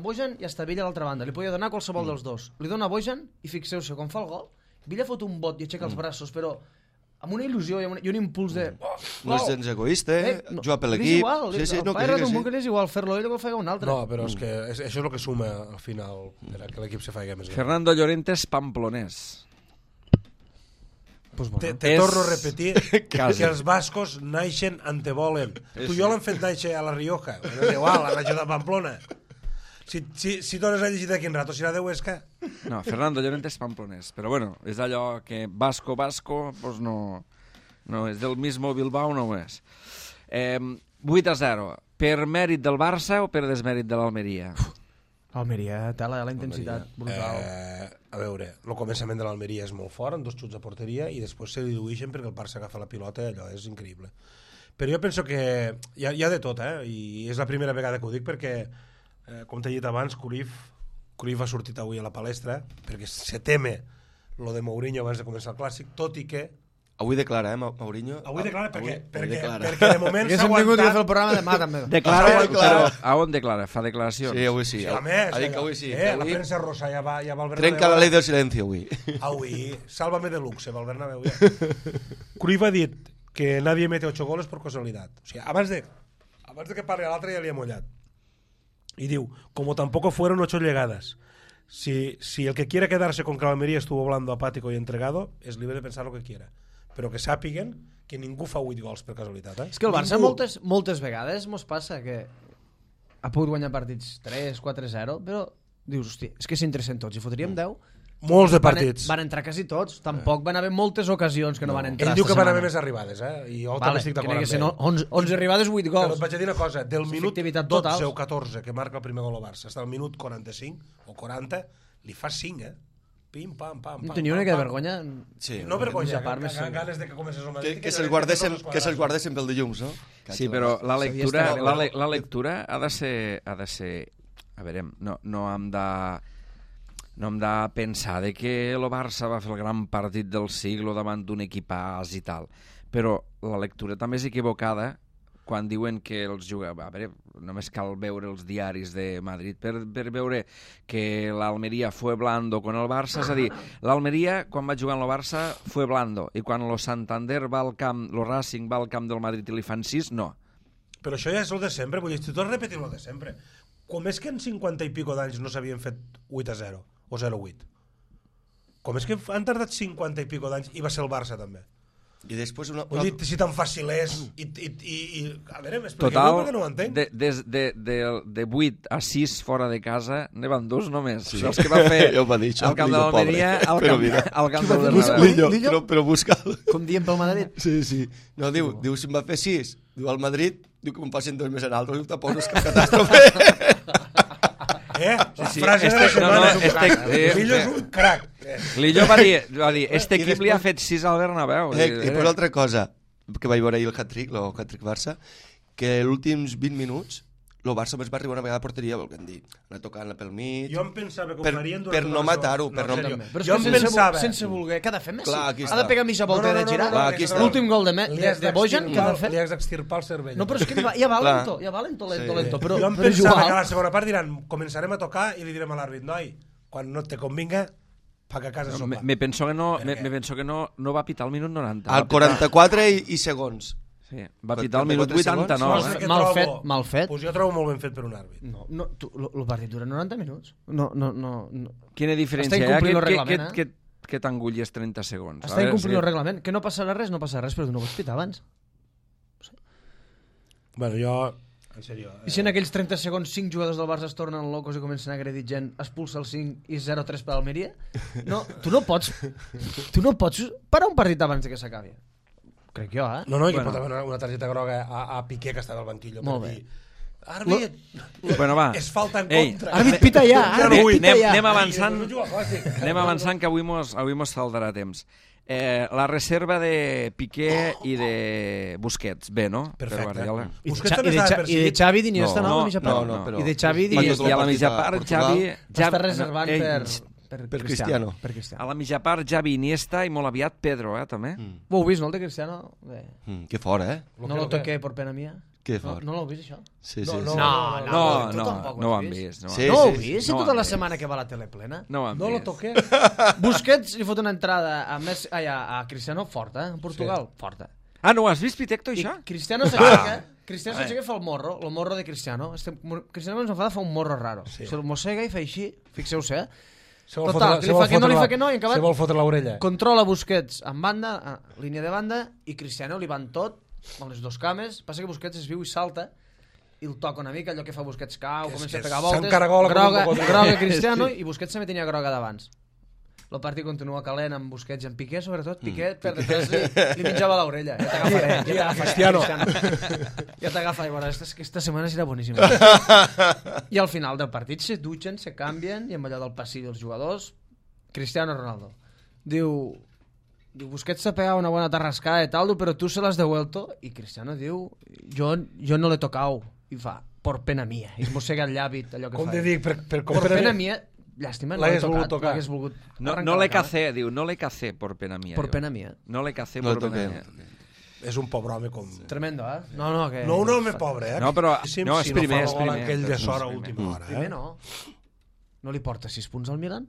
Bojan i està Villa a l'altra banda. Li podia donar qualsevol dels dos. Li dona Bojan i fixeu-se, quan fa el gol, Villa fot un bot i aixeca els braços, però amb una il·lusió i un impuls de... No és gens egoista, jugar per l'equip... El pare d'un que és igual fer-lo ell que el faci un altre. No, però és que això és el que suma al final que l'equip se faci més gran. Fernando Llorente és pamplonès. Te torno a repetir que els bascos naixen on te volen. Tu i jo l'hem fet néixer a La Rioja. És igual, a la ciutat de Pamplona. Si dones a llegir d'aquí un rato, serà de Huesca? No, Fernando Llorente és pamplonès, però bueno, és allò que Vasco, pues no és del mismo Bilbao, no ho és. 8-0, per mèrit del Barça o per desmèrit de l'Almeria? L'Almeria, la intensitat brutal. A veure, el començament de l'Almeria és molt fort, amb 2 xuts a porteria, i després se diluïxen perquè el Barça agafa la pilota i allò és increïble. Però jo penso que hi ha de tot, i és la primera vegada que ho dic perquè com t'he dit abans, Cruyff ha sortit avui a la palestra perquè se teme lo de Mourinho abans de començar el Clàssic, tot i que avui declara, Mourinho? Avui declara perquè de moment s'ha aguantat... vingut a fer el programa demà també. Declara, però a on declara? Fa declaracions? Sí, avui sí. A més, ha dit que avui sí. La premsa rosa ja va al Bernabéu. Trenca la llei del silenci avui. Avui, sálvame de luxe, va al Bernabéu ja. Cruyff ha dit que nadie mete 8 goles por casualidad. O sigui, abans de que parli a l'altre ja li ha mullat. Y diu, como tampoco fueron 8 llegadas. Si el que quiere quedarse con que Almería estuvo hablando apático y entregado, es libre de pensar lo que quiera. Però que sàpiguen que ningú fa 8 gols per casualitat. És que el Barça moltes vegades mos passa que ha pogut guanyar partits 3, 4-0, però Dius, hòstia, és que si entressin tots i fotríem 10... Molts de partits. Van entrar quasi tots. Tampoc van haver moltes ocasions que no van entrar. Ell diu que van haver setmana. més arribades, I jo Vale, també estic d'acord que amb ell. 11 arribades, 8 Però gols. et vaig a dir una cosa, del minut Efectivitat 12 total. o 14 que marca el primer gol al Barça, fins al minut 45 o 40, li fa 5, Pim, pam, pam, pam. No tenia una mica de vergonya. Sí, No vergonya, part més ganes de que comences el Madrid. que se'ls guardessin pel dilluns, no? Sí, però la lectura, estar- la lectura ha de ser... A veure, no hem de pensar de que el Barça va fer el gran partit del segle davant d'un equipàs i tal, però la lectura també és equivocada quan diuen que els jugadors... A veure, només cal veure els diaris de Madrid per veure que l'Almeria fue blando con el Barça, és a dir, l'Almeria quan va jugar amb el Barça fue blando, i quan el Santander va al camp, el Racing va al camp del Madrid i li fan 6, no. Però això ja és el de sempre, vull dir, tu tot repetint el de sempre. Com és que en 50 i pico d'anys no s'havien fet 8-0 o 0-8? Com és que han tardat 50 i pico d'anys i va ser el Barça també? I després una... Vull dir, si tan fàcil és i a veure, m'expliqueu Total, perquè no ho entenc. de 8 a 6 fora de casa, ne van 2 només. Sí. Els que va fer Ja ho va dir, això, al camp de Lillo, l'Almeria, pobre. al camp del Lillo? Bernabéu. Lillo, però busca'l. Com diem pel Madrid. Sí, sí. No, diu, si em va fer 6, diu al Madrid, diu que me'n passin 2 més en altres, diu, tampoc no és cap catàstrofe. La frase de la setmana. Lillo és un crac. Lillo va dir, este equip li ha fet 6 al Bernabéu. I després altra cosa, que vaig veure ahir el hat-trick, el hat-trick Barça, que els últims 20 minuts el Barça només va arribar una vegada a porteria, volguem dir, anar tocant-la pel mig... Jo em pensava que ho per, farien per no matar-ho, per no... Però és Jo que em pensava... sense voler, què ha de fer Messi? Clar, aquí Ha de està. pegar mitja volta de girar? Clar, aquí està. L'últim gol de Bojan, què ha de fer? Li has d'extirpar el cervell. No, però és que ja va lento, lento, però Jo em pensava que a la segona part diran començarem a tocar i li direm a l'àrbit, noi, quan no te convinga, paga a casa sopa. Me penso que no va pitar al minut 90. Al 44 i segons. Sí, va pitar al minut 89. Saps què Mal trobo? fet, mal fet. Pues jo trobo molt ben fet per un àrbit. No, el partit dura 90 minuts. No. Quina diferència Està hi ha incomplint el reglament, que t'engullis 30 segons? Està incomplint el reglament. Que no passarà res, però tu no pots pitar abans. Bueno, jo... En sèrio... I si en aquells 30 segons 5 jugadors del Barça es tornen locos i comencen a agredir gent, expulsa el 5 i 0-3 per Almeria? No, tu no pots parar un partit abans que s'acabi. Crec jo, No, i que pot haver una targeta groga a Piqué que estava al banquillo. Molt bé. Àrbit, Bueno, va. és falta en Ei, contra. Àrbit, pita ja, àrbit, pita ja. Anem avançant que avui mos saldrà temps. La reserva de Piqué i de Busquets, bé, no? Perfecte. Per Guardiola. Busquets també estava I de Xavi d'Iniesta no, a la mitja part. no, però- I de Xavi Quan d'Iniesta. tot I a la mitja a part, Portugal, Xavi... Està reservant Per Cristiano. Per Cristiano. A la mitja part, Xavi, Iniesta i molt aviat Pedro, també. Ho heu vist, no, el de Cristiano? Bé. Que fora, No lo toqué por pena mía. Que No, fort. no l'heu vist, això? Sí, No, sí, no. sí. No tampoc ho ho han has vist. Sí, No ho heu sí, vist? Si no ho tota han la vist. setmana que va a la tele plena? No ho han No lo vist. toqué. Busquets li fot una entrada a Cristiano forta, en Portugal, forta. Ah, no ho has vist, Pitecto, I això? Cristiano s'aixeca, i fa el morro de Cristiano. Cristiano ens fa un morro raro. Se'l mossega i fa així, fixeu-se, Total, que li fa que no, li fa que no, i acabat... Se vol fotre l'orella. Controla Busquets en banda, línia de banda, i Cristiano li van tot, amb les dos cames, passa que Busquets es viu i salta, i el toca una mica, allò que fa Busquets cau, comença a pegar voltes, groga Cristiano, i Busquets també tenia groga d'abans. El partit continua calent amb Busquets i amb Piqué, sobretot. Piqué per detrás li mitjava l'orella. Ja t'agafaré. Cristiano. Ja t'agafa. I bueno, aquesta setmana serà boníssima. I al final del partit se dutxen, se canvien, i amb allò del passillo dels jugadors, Cristiano Ronaldo diu Busquets s'ha pegat una bona tarrascada i tal, però tu se l'has devuelto. I Cristiano diu, jo no l'he tocau. I fa, por pena mía. I es mossega el llavi, allò que fa. Com te dic, Por pena mía. Llàstima, no l'he tocat. No le cacé, diu, no le cacé por pena mía. Por pena mía. No le cacé por pena mía. És un pobre home com... Tremendo, eh? No, que... No un home pobre, eh? No, però... No, és si primer, no fa és gol primer. aquell de sort a última hora, Primer no. No li porta 6 punts al Milan?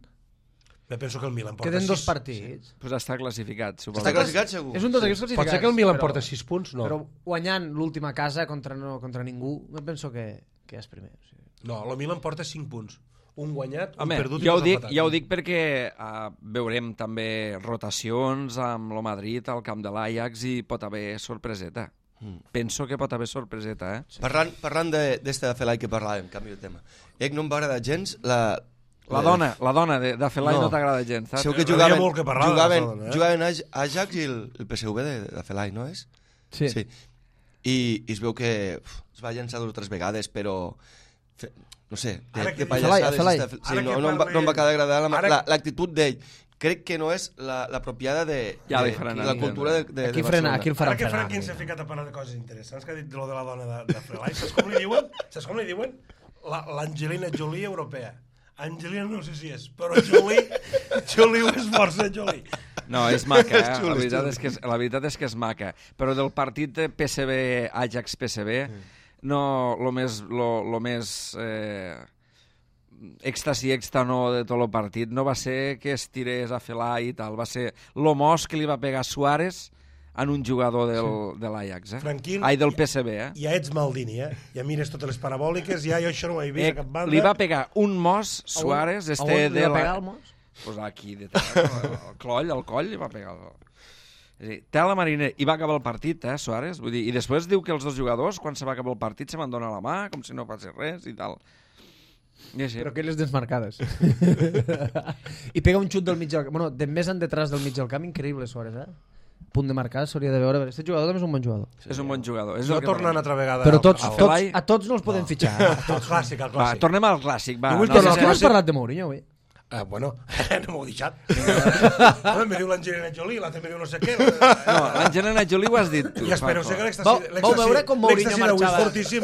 Me penso que el Milan porta 6. Queden 2 partits. Pues està classificat, suposo. Està classificat, segur? És un dels equips classificats. Pot ser que el Milan porta 6 punts? No. Però guanyant l'última casa contra ningú, me penso que és primer. O sigui. No, el Milan porta 5 punts. Un guanyat, un Home, perdut i ja ho dos dic, empatats. ja ho dic perquè veurem també rotacions amb el Madrid al camp de l'Ajax i pot haver sorpreseta. Penso que pot haver sorpreseta, eh? Parlant d'este de Felai que parlàvem, canvi de tema. No em va agradar gens La dona de Felai no t'agrada gens, saps? Segur que Hi havia molt que parlar de jugaven, la dona, jugaven Ajax i el PSV de Felai, no és? Sí. I es veu que es va llançar 2 o 3 vegades, però no sé, Ara que de pallassades Felai. sí, no em va quedar agradar l'actitud d'ell. Crec que no és l'apropiada de Ja li faran la a cultura de Barcelona. Aquí el faran Ara que frenar. Franquin s'ha ficat a parlar de coses interessants, que ha dit lo de la dona de Felai, saps com li diuen? L'Angelina Jolie europea. Angelina no sé si és, però Jolie ho és força, Jolie. No, és maca, És xulo, la veritat és que és maca. Però del partit de PSV, Ajax-PSV, no, lo més èxtasi no de tot el partit no va ser que es tirés a Felai i tal, va ser lo mos que li va pegar Suárez en un jugador de l'Ajax, Franquín, del PSV, Ja ets Maldini, Ja mires totes les parabòliques, jo això no ho he vist a cap banda. Li va pegar un mos Suárez, A on li va pegar el mos? Pues aquí, al coll li va pegar. És a dir, té la marina i va acabar el partit, Suárez. Vull dir, i després diu que els dos jugadors, quan se va acabar el partit, se van donar la mà, com si no passés res i tal. I així. Però aquelles desmarcades. I pega un xut del mig del camp. Bueno, de més en detrás del mig del camp, increïble, Suárez, Punt de marcar, s'hauria de veure. Aquest jugador també és un bon jugador. És un bon jugador. No tornant altra vegada. Però Felai- a tots no els podem fitxar. El clàssic, el Va, clàssic. tornem al clàssic, va. Jo vull No, tornar sé al No si- has parlat de Mourinho, avui. Bueno, no m'ho he deixat. Me diu l'Angelina Jolie, l'altre me diu no sé què. No, l'Angelina Jolie ho has dit tu. I espero Paco. que l'èxtasi... Vau veure com Mourinho l'èxtasi d'avui és marxava. fortíssim,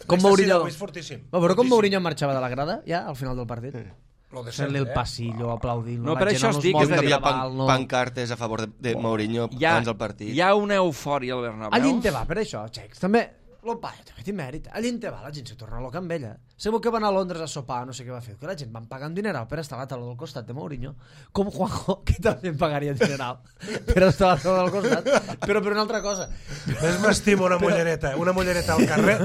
Com L'èxtasi Mourinho. d'avui és fortíssim. Vau veure com Fortíssim. Mourinho marxava de la grada, ja, al final del partit? Lo de Fent-li el sempre, passillo, aplaudint. No, la per gent això amb es els dic, mòbils és a dir, Havia davant, no. pancartes a favor de Mourinho abans del partit. Hi ha una eufòria al Bernabéu. Allí en te va, per això, Xecs. També, lo paio, també té mèrit. Allí en te va, la gent se torna loca amb ella. Segur que van a Londres a sopar, no sé què va fer, que la gent van pagar un dineral per estar a la taula del costat de Mourinho, com Juanjo, que també pagaria dineral per estar a la taula del costat, però per una altra cosa. Més m'estimo una mullereta al carrer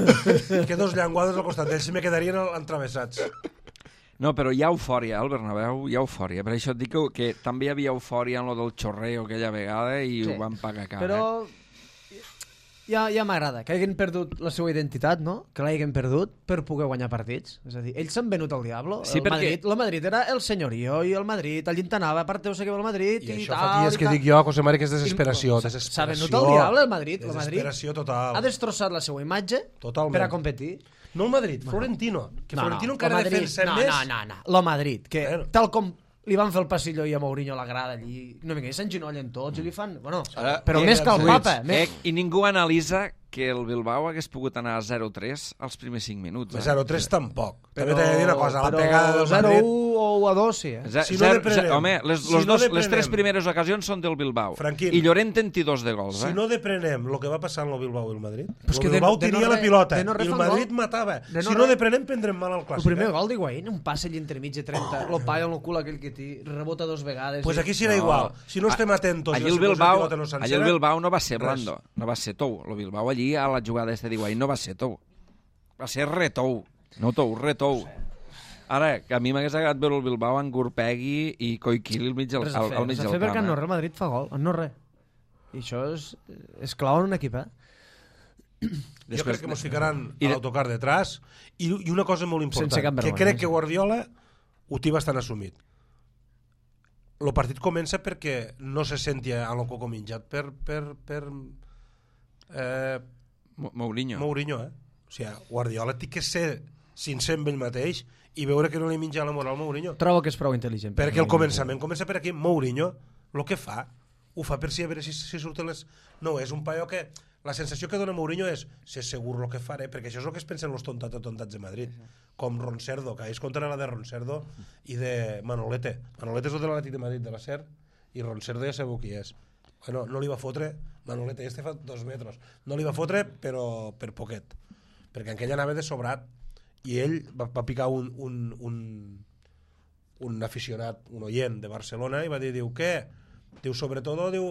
que 2 llenguades al costat d'ells, si me quedarien entravessats. No, però hi ha eufòria al Bernabéu, hi ha eufòria. Per això et dic que també hi havia eufòria en lo del xorreo aquella vegada i ho van pagar car. Però ja m'agrada que hagin perdut la seva identitat, no? Que l'hagin perdut per poder guanyar partits. És a dir, ells s'han venut al diablo. Sí, El Madrid era el senyorio i el Madrid, allí anava, aparteu sé que va el Madrid I i això tal. fa dies i que tal. dic jo, José Mari, que és desesperació. S'ha venut al diable el Madrid. El Madrid Desesperació total. ha destrossat la seva imatge Totalment. per a competir. No el Madrid, Florentino. Que Florentino encara el Madrid, defensa més. No. Lo Madrid, que Bueno. tal com li van fer el passillo i a Mourinho a la grada allí, no vinga, s'enginollen tots i li fan... Bueno, Ara, però i més que el els papa. I ningú analitza que el Bilbao hagués pogut anar a 0-3 als primers 5 minuts. 0-3 tampoc. També t'he de dir una cosa, la però pegada del 0-1 Madrid... o a 2, sí, Si no deprenem. Home, les 3 primeres ocasions són del Bilbao. Franquín. I Llorente en té 2 de gols. Si no deprenem el que va passar en el Bilbao i el Madrid, Però és el que Bilbao de no tenia la re- pilota de no re i el fan Madrid gol. matava. De no Si no re- deprenem, prendrem mal al El clàssic. primer gol d'Higuaín, un passe allí entremig de 30, lo paio en el cul aquell que té, rebota 2 vegades. Pues i- aquí serà igual. Si no estem atentos Allí i el la Bilbao, pilota no allí el sencera... Bilbao no va ser res. blando, no va ser tou. El Bilbao allí a la jugada de d'Higuaín no va ser tou. Va ser retou. No tou, retou. Ara, que a mi m'hagués agradat veure el Bilbao en Gurpegui i Koikili al mig del, Res a fer, al mig res a del fer perquè camp. en no res el Madrid fa gol, en no res. I això és clau en un equip, Jo crec que mos ficaran I a de- l'autocar detrás i una cosa molt important, Sense cap que vergonya, crec sí. que Guardiola ho té bastant assumit. El partit comença perquè no se sentia a l'Oco minjat per Mourinho. Mourinho, O sigui, Guardiola té que ser sincer amb ell mateix i veure que no li menja la moral Mourinho. Trobo que és prou intel·ligent. Perquè el començament comença per aquí. Mourinho, el que fa, ho fa per si a veure si surten les... No, és un paio que... La sensació que dona Mourinho és ser segur el que faré, perquè això és el que es pensen els tontats de Madrid. Com Roncerdo, que ells compten la de Roncerdo i de Manolete. Manolete és el de l'Atlètic de Madrid, de la SER, i Roncerdo ja sabeu qui és. Bueno, no li va fotre... Manolete, este fa 2 metres. No li va fotre, però per poquet. Perquè aquell anava de sobrat i ell va picar un aficionat, un oient de Barcelona i va dir, diu, què? Diu, sobretot, diu,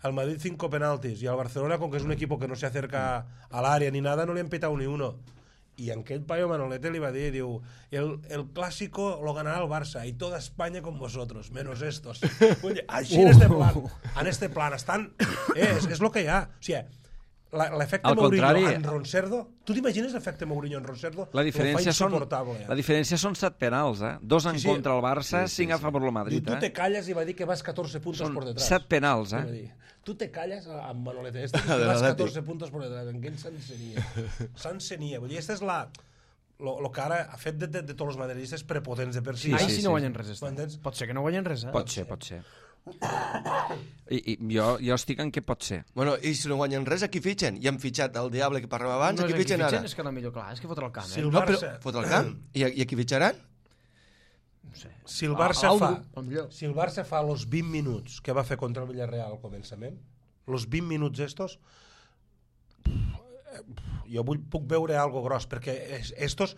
al Madrid 5 penaltis y al Barcelona, con que es un equipo que no se acerca al área ni nada, no le han petado ni uno. Y aquel payo Manolete le iba a decir, diu, el clásico lo ganará el Barça y toda España con vosotros, menos estos. Oye, així en este plan estan... És lo que hi ha. O sigui, l'efecte Al Mourinho contrari. en Roncerdo, tu t'imagines l'efecte Mourinho en Roncerdo? La diferència insuportable. la diferència són 7 penals, 2 en contra el Barça, 5 a favor del Diu, Madrid. tu te calles i va dir que vas 14 puntos Són por detrás. 7 penals, Va dir, tu te calles amb Manolete este, que vas 14 puntos por detrás. En què s'encenia? S'encenia. Vull dir, aquesta és lo que ara ha fet de tots els madridistes prepotents de per si. Ai, si no guanyen res. M'entens? Pot ser que no guanyen res, Pot ser. I jo estic en què pot ser. Bueno, i si no guanyen res, a qui fitxen? I han fitxat el Diable que parlàvem abans, No a qui és fitxen ara? és que no millor, clar, és que fotre el camp, Si eh? el No, però Barça, fot el camp? I a qui fitxaran? No sé. si el Barça Aldo, fa... potser. Si el Barça fa los 20 minuts que va fer contra el Villarreal al començament, los 20 minuts estos, jo puc veure algo gros, perquè estos,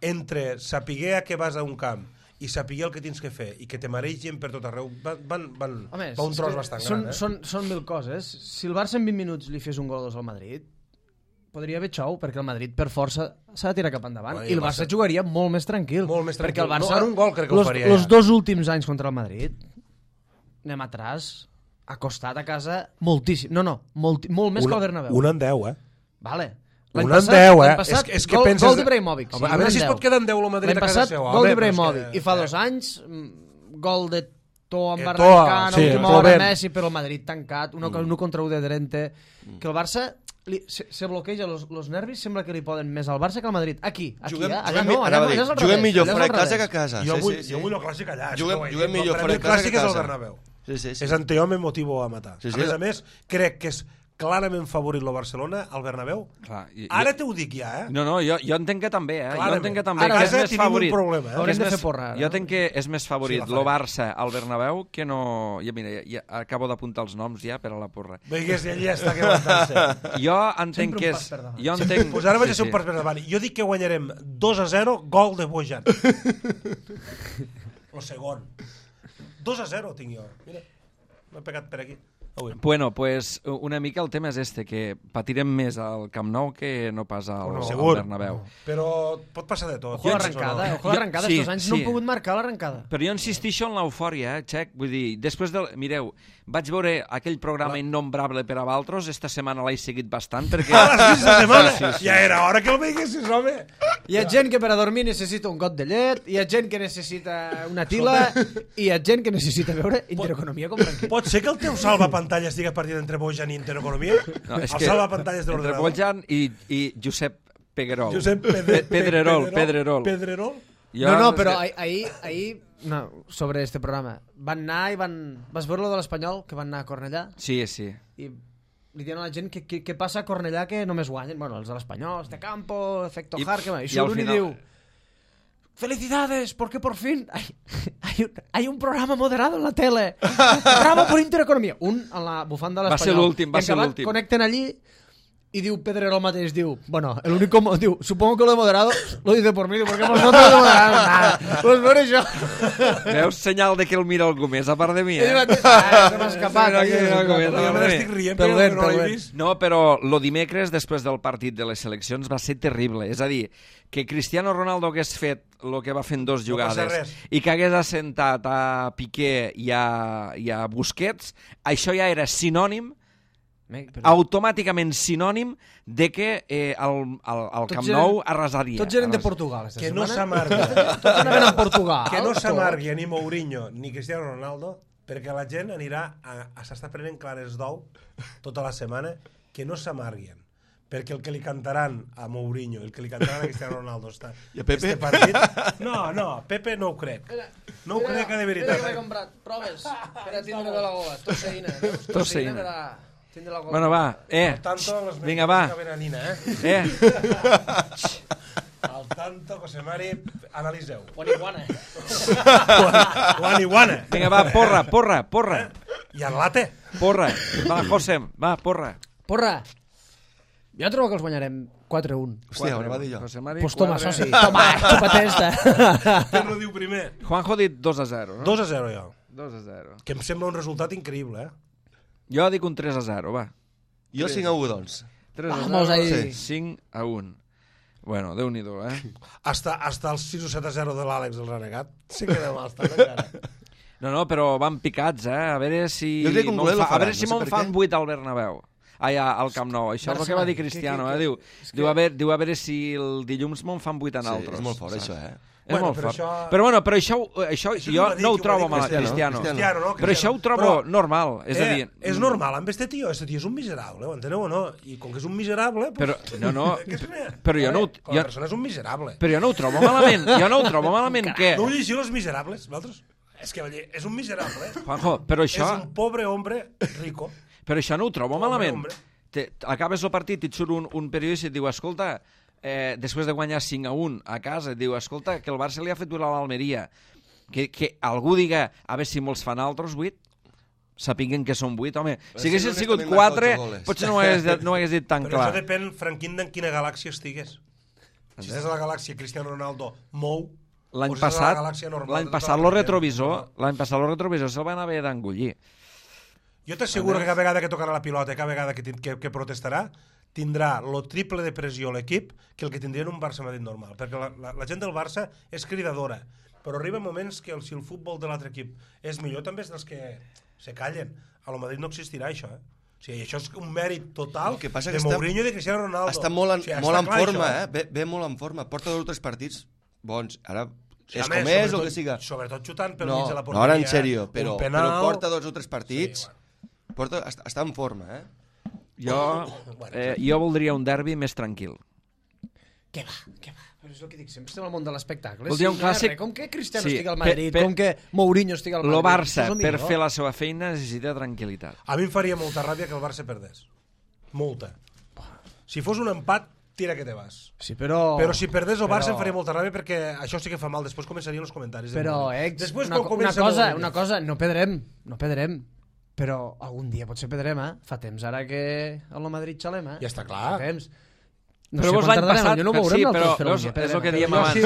entre saber que vas a un camp i saber el que tens que fer i que te maregen per tot arreu, van Home, va un és tros que bastant són, gran. són mil coses. Si el Barça en 20 minuts li fes un gol o dos al Madrid, podria haver xou, perquè el Madrid per força s'ha de tirar cap endavant. Bueno, I el Barça jugaria molt més tranquil. Molt més Perquè el tranquil. Barça, No, en un gol crec que ho faria los ja. 2 últims anys contra el Madrid, anem atràs, ha costat a casa moltíssim. No, molt més que el Bernabéu. Un en 10, Vale. Un en 10, és que gol, penses... gol d'Ibrahimovic. Home, a veure si es pot quedar en 10 el Madrid L'any a casa passat, seva. gol home, d'Ibrahimovic. però és que- I fa 2 anys, gol de Toa amb Toa, Barracana, sí, última hora plovent. Messi, però el Madrid tancat, 1 contra 1 de Drente. Que el Barça se bloqueja los nervis, sembla que li poden més al Barça que al Madrid. Aquí, Juguem, allà no, allà anava a dir, és al juguem revés, millor allà és fora al de casa revés. que a casa. Jo vull el clàssic allà. Juguem millor fora de El casa clàssic que a és el casa. Bernabéu. Sí. És en Teo me motivo a matar. Sí, A més, crec que és clarament favorit el Barcelona al Bernabéu. Clar, Ara t'ho dic ja, eh? No, jo entenc que també, Jo Clarament. entenc que també, Ara, que és casa més tenim un favorit. problema, eh? Que Haurem és de més- fer porra, ara. Jo entenc que és més favorit Sí, la el farem. Barça al Bernabéu que no... Ja, mira, ja acabo d'apuntar els noms ja per a la porra. Veigues, ell ja està que avançant-se. Jo entenc Sempre un que pas és... per davant. Jo entenc... Pues ara vaig a ser un pas per davant. Jo dic que guanyarem 2-0, gol de Bojan. El segon. 2-0 tinc jo. Mira, m'he pegat per aquí. Bueno, pues una mica el tema és este, que patirem més al Camp Nou que no pas al Segur. Bernabéu. Però pot passar de tot. Ojo l'arrencada, Sí, estos anys sí. no han pogut marcar l'arrencada. Però jo insistixo en l'eufòria, Xec. Vull dir, després del... Mireu, vaig veure aquell programa innombrable per a Valtros, esta setmana l'he seguit bastant, perquè... A les 15 de setmana! Sí. Ja era hora que el veiguessis, home! Hi ha gent que per a dormir necessita un got de llet, hi ha gent que necessita una tila, i hi ha gent que necessita veure Intereconomia com tranquil. Pot ser que el teu salvapantalles estigui partint entre Bojan i Intereconomia? No, és el que salvapantalles de entre l'ordenador. Bojan i Josep Peguerol. Josep Pedrerol. Pedrerol? No, però ahir no, sobre este programa van anar i vas veure lo de l'Espanyol, que van anar a Cornellà, Sí. i li diuen a la gent que passa a Cornellà que només guanyen, bueno, els de l'Espanyol, este campo, efecto I- Harker, i i al surt un i final- diu: ¡Felicidades! Porque por fin hay un programa moderado en la tele. ¡Bravo por Intereconomía! Un en la bufanda de Va ser l'Espanyol. l'últim, va I en ser acabat l'últim. Connecten allí y diu Pedrerol mateix, diu, bueno, el único, diu, supongo que lo de moderado lo dice por mí, porque vosotros de moderado nada. Pues por això. Veus senyal de que el mira algú més, a part de mi, Ell eh? mateix, se m'ha escapat. Sí, Jo me n'estic rient, però Pel vent, que no pel l'he vent. vist. No, però lo dimecres, després del partit de les seleccions, va ser terrible. És a dir, que Cristiano Ronaldo hagués fet el que va fer en 2 passa jugades res. i que hagués assentat a Piqué i a Busquets, això ja era sinònim, automàticament sinònim de que el Camp Nou arrasaria. Tots eren de Portugal, esta Que no setmana. s'amargui. Tots anaven a Portugal. Que no tots. s'amargui ni Mourinho ni Cristiano Ronaldo, perquè la gent anirà a s'està prenent clares d'ou tota la setmana, que no s'amarguen. Perquè el que li cantaran a Mourinho, el que li cantaran a Cristiano Ronaldo I a Pepe? este partit... No, Pepe no ho crec. No ho crec de Mira veritat. que m'he comprat proves per a tindre de la gola. Tosseïna, veus? Tosseïna. per a tindre la gola. Bueno, va, Al tanto, los vinga, va. Nina, eh? Al tanto, José Mari, analiseu. Guaniguana. Guaniguana. Vinga, va, porra. I el late? Porra. Va, José, va, porra. Porra. Jo trobo que els guanyarem 4-1. Hòstia, ara va dir jo. José Mari, Pues toma, 4. soci. Toma, xupa't esta. Què no diu primer? Juanjo ha dit 2-0, no? 2-0 jo. 2-0. Que em sembla un resultat increïble, eh? Jo dic un 3-0, va. Jo 5-1, doncs. 3-0, Vamos ahí. 5-1. Bueno, Déu-n'hi-do, eh? Hasta el 6 o 7-0 de l'Àlex el renegat. Sí que demà estan encara. No, però van picats, eh? A veure si... Jo crec que un golet lo a veure faran, si no sé me'n per fan què. 8 al Bernabéu. al Camp Nou. Això és el que va dir Cristiano. Diu a veure si el dilluns me'n fan 8 en altres. És molt fort, això, És molt fort. Però això jo no ho trobo mal, Cristiano. Però això ho trobo normal. És a dir... És normal amb este tio és un miserable, ho enteneu o no? I com que és un miserable... Però jo no... Com a persona és un miserable. Però jo no ho trobo malament. Jo no ho trobo malament, què? No ho llegiu Els Miserables, vosaltres? És que és un miserable. Juanjo, però això... És un pobre hombre rico. Però això no ho trobo malament. Acabes el partit i et surt un periodista i et diu, escolta, després de guanyar 5-1 a casa, et diu, escolta, que el Barça li ha fet durar a l'Almeria. Que algú diga, a veure si molts fan altres 8, sapiguen que són 8, home. Si haguessin sigut 4, potser no ho hagués dit tan clar. Però això depèn, Franquín, d'en quina galàxia estigues. Si estàs a la galàxia Cristiano Ronaldo mou, l'any passat el retrovisor se'l van haver d'engullir. Jo t'asseguro que cada vegada que tocarà la pilota, cada vegada que protestarà, tindrà lo triple de pressió l'equip que el que tindria en un Barça-Madrid normal. Perquè la gent del Barça és cridadora, però arriba moments que si el futbol de l'altre equip és millor, també és dels que se callen. A lo Madrid no existirà això, O sigui, això és un mèrit total de Mourinho i de Cristiano Ronaldo. Està molt en forma, ve molt en forma. Porta 2 o 3 partits bons. Ara és com és o que siga. Sobretot xutant pel mig de la porteria. No, ara en sèrio, però porta 2 o 3 partits. Està en forma, Jo voldria un derbi més tranquil. Què va? Però és el que dic, sempre estem al món de l'espectacle. Voldria un clàssic... Com que Cristiano estigui al Madrid, com que Mourinho estigui al Madrid... El Barça, per fer la seva feina, necessita tranquil·litat. A mi em faria molta ràbia que el Barça perdés. Molta. Si fos un empat, tira que te vas. Sí, però si perdés el Barça em faria molta ràbia perquè això sí que fa mal. Després començarien els comentaris. Però, una cosa, no perdrem. Però algun dia potser perdrem, Fa temps ara que al Madrid xalem, Ja està clar. Fa temps. Però vos l'any passat... Sí, però és el que diem abans.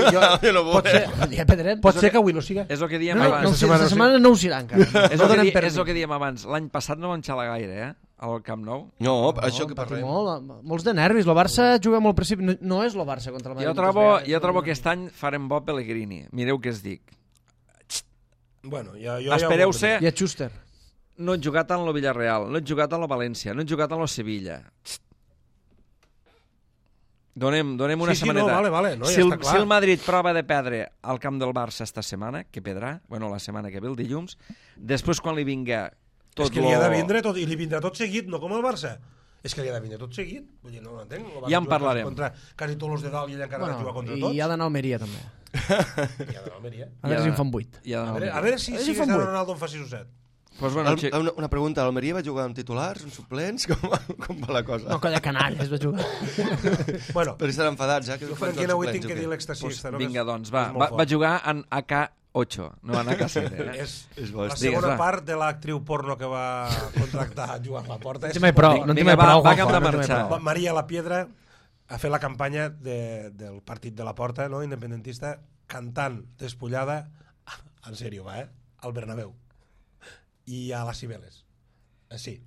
Pot ser que avui no siga. És el que diem abans. Aquesta setmana no ho serà encara. És el que diem abans. L'any passat no van xalar gaire, al Camp Nou. No, això que parlem. Molts de nervis. El Barça juga molt al principi. No és el Barça contra el Madrid. Jo trobo que aquest any farem bo Pellegrini. Mireu què es dic. Espereu-se. I a Schuster. No he jugat en el Villarreal, no he jugat en el València, no he jugat en el Sevilla. Donem una setmaneta. Si el Madrid prova de perdre al camp del Barça esta setmana, que perdrà, la setmana que ve, el dilluns, després quan li vinga tot... És que li ha de vindre tot, i li vindrà tot seguit, no com el Barça. És que li ha de vindre tot seguit. Vull dir, no ho entenc. Ja en parlarem. Contra quasi tots els de dalt i ella encara ha de jugar contra tots. I ha d'anar a Almeria, també. I ha d'anar a Almeria. A veure si en fan 8. A veure si Cristiano Ronaldo en fa 6 o 7. Una pregunta, l'Almeria va jugar amb titulars, amb suplents? Com va la cosa? No, colla canalles va jugar. Però estan enfadats, Jo Franquina avui tinc que dir l'èxtasis. Vinga, doncs, va jugar en AK8, no en AK7. És la segona part de l'actriu porno que va contractar Joan Laporta. No en tinc prou. Va cap de marxar. Maria La Piedra ha fet la campanya del partit de la Porta, independentista, cantant despullada, en sèrio, al Bernabéu. I a les Cibeles. Sí.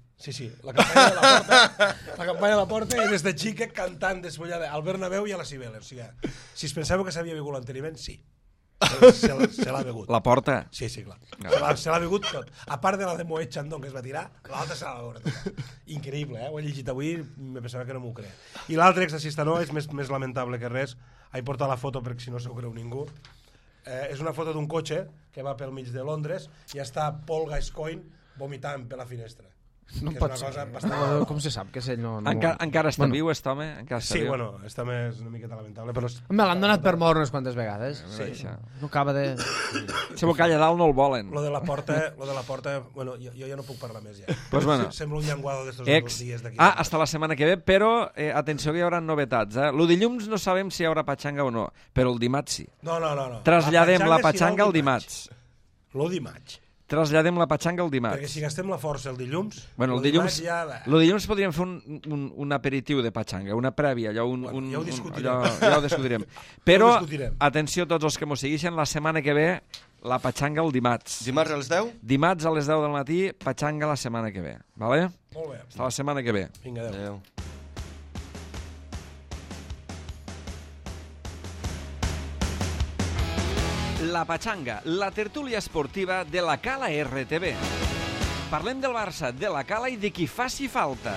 La campanya de la Porta i des de xica cantant despullada al Bernabéu i a les Cibeles. O sigui, si es penseu que s'havia begut l'enteniment, sí. Se l'ha begut. La Porta? Sí, clar. Se l'ha begut tot. A part de la de Moet Chandon que es va tirar, l'altra se l'ha begut tot. Increïble, Ho he llegit avui, me pensava que no m'ho creia. I l'altre exorcista no, és més lamentable que res. He portat la foto perquè si no s'ho creu ningú. És una foto d'un cotxe que va pel mig de Londres i està Paul Gascoigne vomitant per la finestra. No pot ser. Com se sap que ell no... Encara està viu, aquest home? Sí, està més una miqueta lamentable, però... Me l'han donat per mort unes quantes vegades. No acaba de... Si m'ho calla dalt no el volen. Lo de la porta, jo ja no puc parlar més, ja. Sembla un llenguado d'estos dies d'aquí. Hasta la setmana que ve, però atenció que hi haurà novetats. Lo dilluns no sabem si hi haurà patxanga o no, però el dimarts sí. No. Traslladem la patxanga al dimarts. Lo dimarts. Traslladem la patxanga al dimarts. Perquè si gastem la força el dilluns... El dilluns podríem fer un aperitiu de patxanga, una prèvia, allò... Ja ho discutirem. Ja ho discutirem. Però, atenció a tots els que m'ho segueixen, la setmana que ve, la patxanga el dimarts. Dimarts a les 10? Dimarts a les 10 del matí, patxanga la setmana que ve. Vale? Molt bé. Fins la setmana que ve. Vinga, adéu. La Patxanga, la tertúlia esportiva de la Cala RTV. Parlem del Barça, de la Cala i de qui faci falta.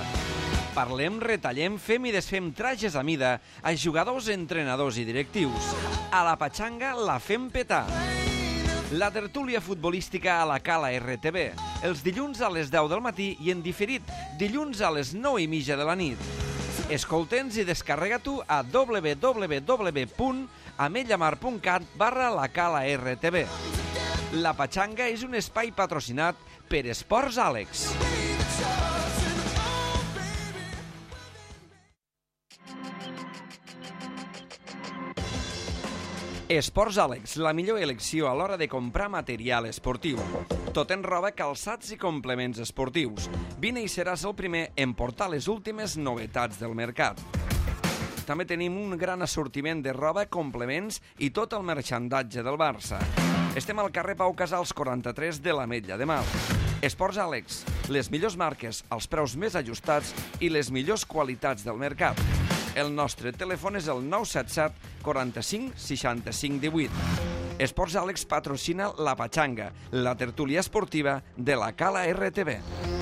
Parlem, retallem, fem i desfem trajes a mida a jugadors, entrenadors i directius. A la Patxanga la fem petar. La tertúlia futbolística a la Cala RTV, els dilluns a les 10 del matí i en diferit dilluns a les 9:30 de la nit. Escolta'ns i descarrega-t'ho a www.ametlllamar.cat/la Cala RTV. La Patxanga és un espai patrocinat per Esports Àlex. Esports Àlex, la millor elecció a l'hora de comprar material esportiu. Tot en roba, calçats i complements esportius. Vine i seràs el primer en portar les últimes novetats del mercat. També tenim un gran assortiment de roba, complements i tot el marxandatge del Barça. Estem al carrer Pau Casals 43 de l'Ametlla de Mar. Esports Àlex, les millors marques, els preus més ajustats i les millors qualitats del mercat. El nostre telèfon és el 977 45 65 18. Esports Àlex patrocina la Patxanga, la tertúlia esportiva de la Cala RTV.